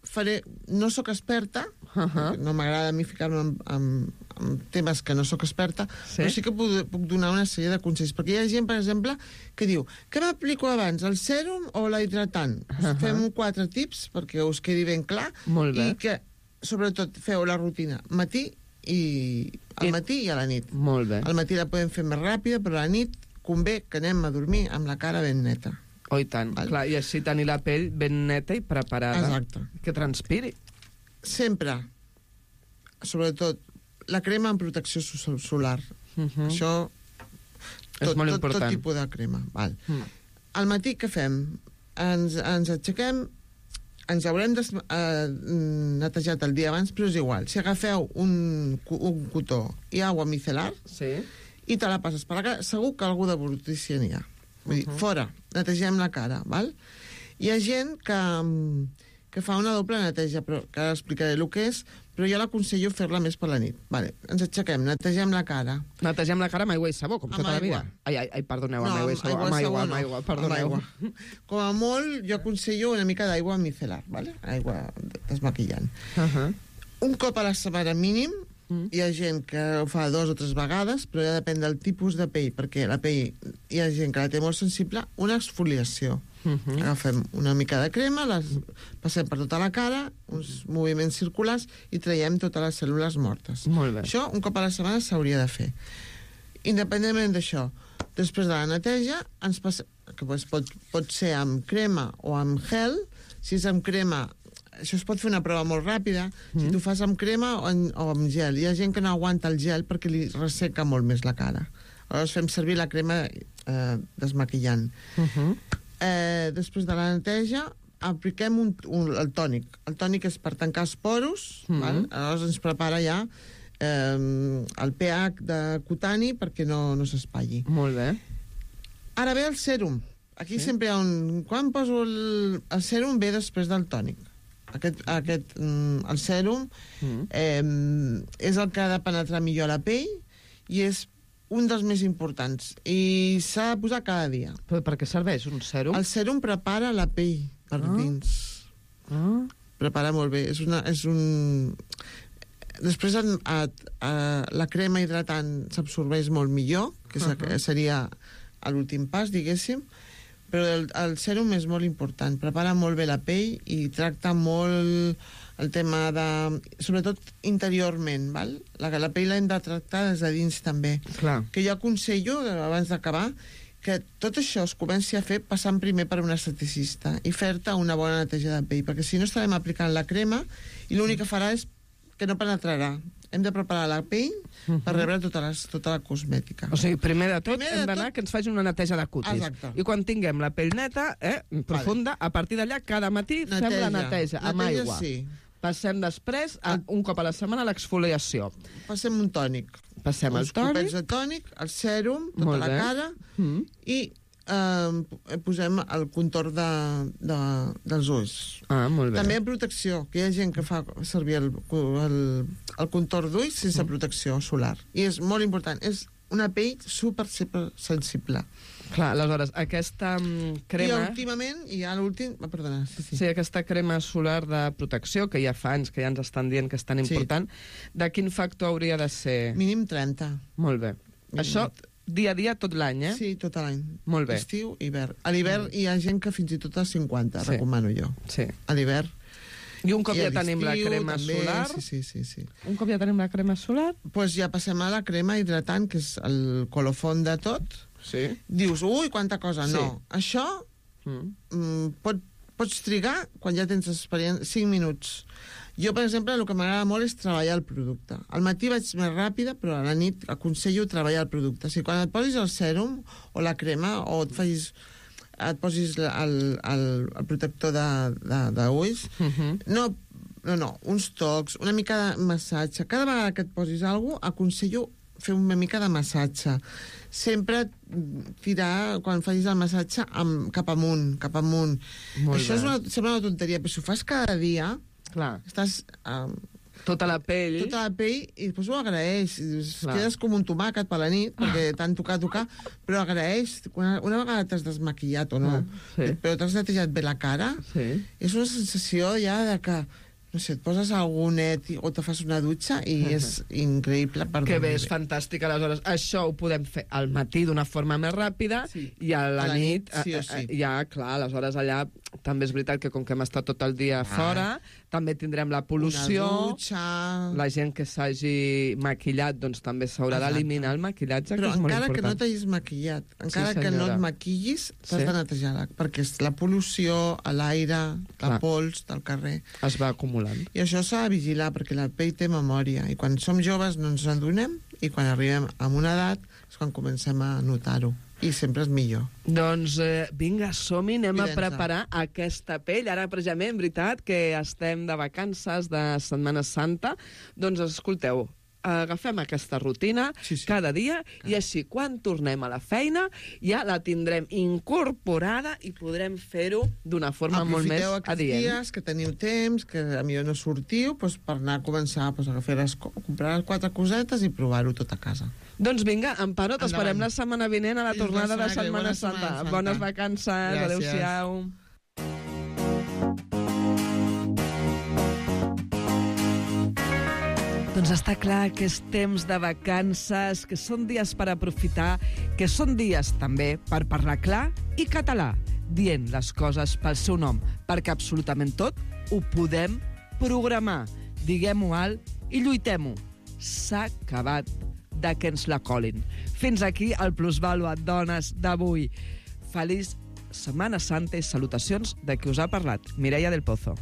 faré... No sóc experta, uh -huh. no m'agrada a mi ficar-me en, en, en temes que no sóc experta, sí? Però sí que puc, puc donar una sèrie de consells. Perquè hi ha gent, per exemple, que diu què m'aplico abans, el sèrum o la hidratant? Uh -huh. Fem quatre tips perquè us quedi ben clar. Molt bé. I que, sobretot, feu la rutina matí i al matí i a la nit. Molt bé. Al matí la podem fer més ràpida, però a la nit convé que anem a dormir amb la cara ben neta. Oh, i tant. Val. Clar, i així tenir la pell ben neta i preparada. Exacte. Que transpiri. Sempre, sobretot, la crema amb protecció solar. Uh -huh. Això... Tot, és molt tot, important. Tot tipus de crema. Val. Mm. Al matí què fem? Ens, ens aixequem, ens haurem des, eh, netejat el dia abans, però és igual. Si agafeu un, un cotó i aigua micelar sí. i te la passes per la cara, segur que algú de brutícia n'hi ha. Vull dir, uh -huh. fora, netegem la cara, val? Hi ha gent que, que fa una doble neteja, però que ara explicaré el que és, però jo l'aconsello fer-la més per la nit. Vale, ens aixequem, netegem la cara. Netegem la cara amb aigua i sabó, com Amb tota la vida. aigua. Ai, ai, ai, perdoneu, No, amb aigua i sabó. aigua, Amb aigua, sabó amb no. aigua, perdoneu. Amb aigua. Com a molt, jo aconsello una mica d'aigua micelar, vale? Aigua desmaquillant. Uh -huh. Un cop a la setmana mínim, mm. hi ha gent que ho fa dos o tres vegades, però ja depèn del tipus de pell, perquè la pell, hi ha gent que la té molt sensible, una exfoliació. Uh -huh. Agafem una mica de crema, les passem per tota la cara, uns moviments circulars i traiem totes les cèl·lules mortes. Molt bé. Això un cop a la setmana s'hauria de fer. Independentment d'això, després de la neteja, ens passa, que pues, pot, pot ser amb crema o amb gel. Si és amb crema, això es pot fer una prova molt ràpida, mm. si tu fas amb crema o, en, o amb gel. Hi ha gent que no aguanta el gel perquè li resseca molt més la cara. Aleshores fem servir la crema eh, desmaquillant. Uh -huh. Eh, després de la neteja apliquem un, un, el tònic. El tònic és per tancar els poros, mm-hmm. val? Aleshores ens prepara ja eh, el pH de cutani perquè no, no s'espatlli. Molt bé. Ara ve el sèrum. Aquí sí. sempre hi ha un... Quan poso el, el sèrum ve després del tònic. Aquest, aquest, el sèrum mm. eh, és el que ha de penetrar millor a la pell i és un dels més importants. I s'ha de posar cada dia. Però per què serveix un sèrum? El sèrum prepara la pell per ah. dins. Ah. Prepara molt bé. És, una, és un... Després et, et, uh, la crema hidratant s'absorbeix molt millor, que uh -huh. seria l'últim pas, diguéssim, però el, el sèrum és molt important. Prepara molt bé la pell i tracta molt el tema de... sobretot interiorment, val? La, la pell l'hem de tractar des de dins també. Clar. Que jo aconsello, abans d'acabar, que tot això es comenci a fer passant primer per un esteticista i fer-te una bona neteja de pell, perquè si no estarem aplicant la crema i l'únic que farà és que no penetrarà. Hem de preparar la pell uh-huh. per rebre tota, les, tota la cosmètica. O sigui, primer de tot primer hem de d'anar tot... que ens faci una neteja de cutis. Exacte. I quan tinguem la pell neta, eh, profunda, vale. A partir d'allà, cada matí neteja. fem la neteja, amb neteja, aigua. Sí. Passem després, a, un cop a la setmana, a l'exfoliació. Passem un tònic. Passem el Uns tònic. copets de tònic, el sèrum, tota Molt la bé. cara, mm. i eh, posem el contorn de, de, dels ulls. Ah, molt bé. També en protecció, que hi ha gent que fa servir el, el, el contorn d'ulls sense mm. protecció solar. I és molt important. És una pell super, super sensible. Clar, aleshores, aquesta um, crema... I últimament, i ja l'últim... Ah, perdona, sí, sí. Sí, aquesta crema solar de protecció, que ja fa anys que ja ens estan dient que és tan important, sí. De quin factor hauria de ser? Mínim trenta. Molt bé. Mínim. Això dia a dia tot l'any, eh? Sí, tot l'any. Molt bé. Estiu, hivern. A l'hivern mm. hi ha gent que fins i tot a cinquanta, sí. recomano jo. Sí. A l'hivern. I un cop I ja tenim la crema també, solar... Sí, sí, sí, sí. Un cop ja tenim la crema solar... Doncs pues ja passem a la crema hidratant, que és el colofon de tot. Sí. Dius, ui, quanta cosa. Sí. No, això mm. Mm, pot, pots trigar, quan ja tens experiència, cinc minuts. Jo, per exemple, el que m'agrada molt és treballar el producte. Al matí vaig més ràpida, però a la nit aconsello treballar el producte. O sigui, quan et posis el sèrum o la crema o et facis... et posis el, el, el protector d'ulls, uh-huh. no, no, no, uns tocs, una mica de massatge. Cada vegada que et posis alguna cosa, aconsello fer una mica de massatge. Sempre tirar, quan facis el massatge, amb, cap amunt, cap amunt. Molt Això bé. és una, sembla una tonteria, però si ho fas cada dia, clar, estàs... Um, tota la pell... Tota la pell, i després ho agraeix. I clar. Quedes com un tomàquet per la nit, perquè t'han tocat, tocar, però agraeix. Una, una vegada t'has desmaquillat o no, ah, sí. però t'has netejat bé la cara, sí. és una sensació ja de que no sé, et poses algun net o te fas una dutxa i uh-huh. és increïble per que dormir. bé, és fantàstic. Aleshores, això ho podem fer al matí d'una forma més ràpida sí. i a la, a la nit, nit sí o sí. ja, clar, aleshores allà també és veritat que com que hem estat tot el dia ah. fora, també tindrem la pol·lució. Una dutxa... La gent que s'hagi maquillat, doncs també s'haurà d'eliminar el maquillatge, però que és molt important. Però encara que no t'hagis maquillat, encara sí, que no et maquillis, t'has sí. de netejar, perquè és la pol·lució, l'aire, la pols del carrer. Es va acumulant. I això s'ha de vigilar, perquè la pell té memòria, i quan som joves no ens en donem, i quan arribem a una edat és quan comencem a notar-ho. I sempre és millor. Doncs eh, vinga, som-hi, anem Cuidenza. a preparar aquesta pell. Ara, precisament, veritat, que estem de vacances de Setmana Santa. Doncs escolteu, agafem aquesta rutina sí, sí. cada dia i així, quan tornem a la feina, ja la tindrem incorporada i podrem fer-ho d'una forma molt més adient. Aprofiteu aquests dies que teniu temps, que a millor no sortiu, doncs, per anar a començar doncs, a fer les, comprar les quatre cosetes i provar-ho tot a casa. Doncs vinga, Amparo, t'esperem la setmana vinent a la tornada de Setmana Santa. Bones vacances, adéu-siau. Doncs està clar que és temps de vacances, que són dies per aprofitar, que són dies també per parlar clar i català, dient les coses pel seu nom, perquè absolutament tot ho podem programar. Diguem-ho alt i lluitem-ho. S'ha acabat de que ens la colin. Fins aquí el Plusvàlua Dones d'avui. Feliç Setmana Santa i salutacions de qui us ha parlat, Mireia del Pozo.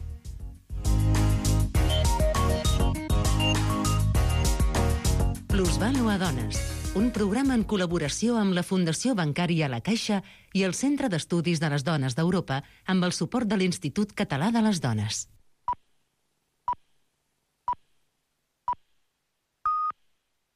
Plusvàlua Dones, un programa en col·laboració amb la Fundació Bancària La Caixa i el Centre d'Estudis de les Dones d'Europa amb el suport de l'Institut Català de les Dones.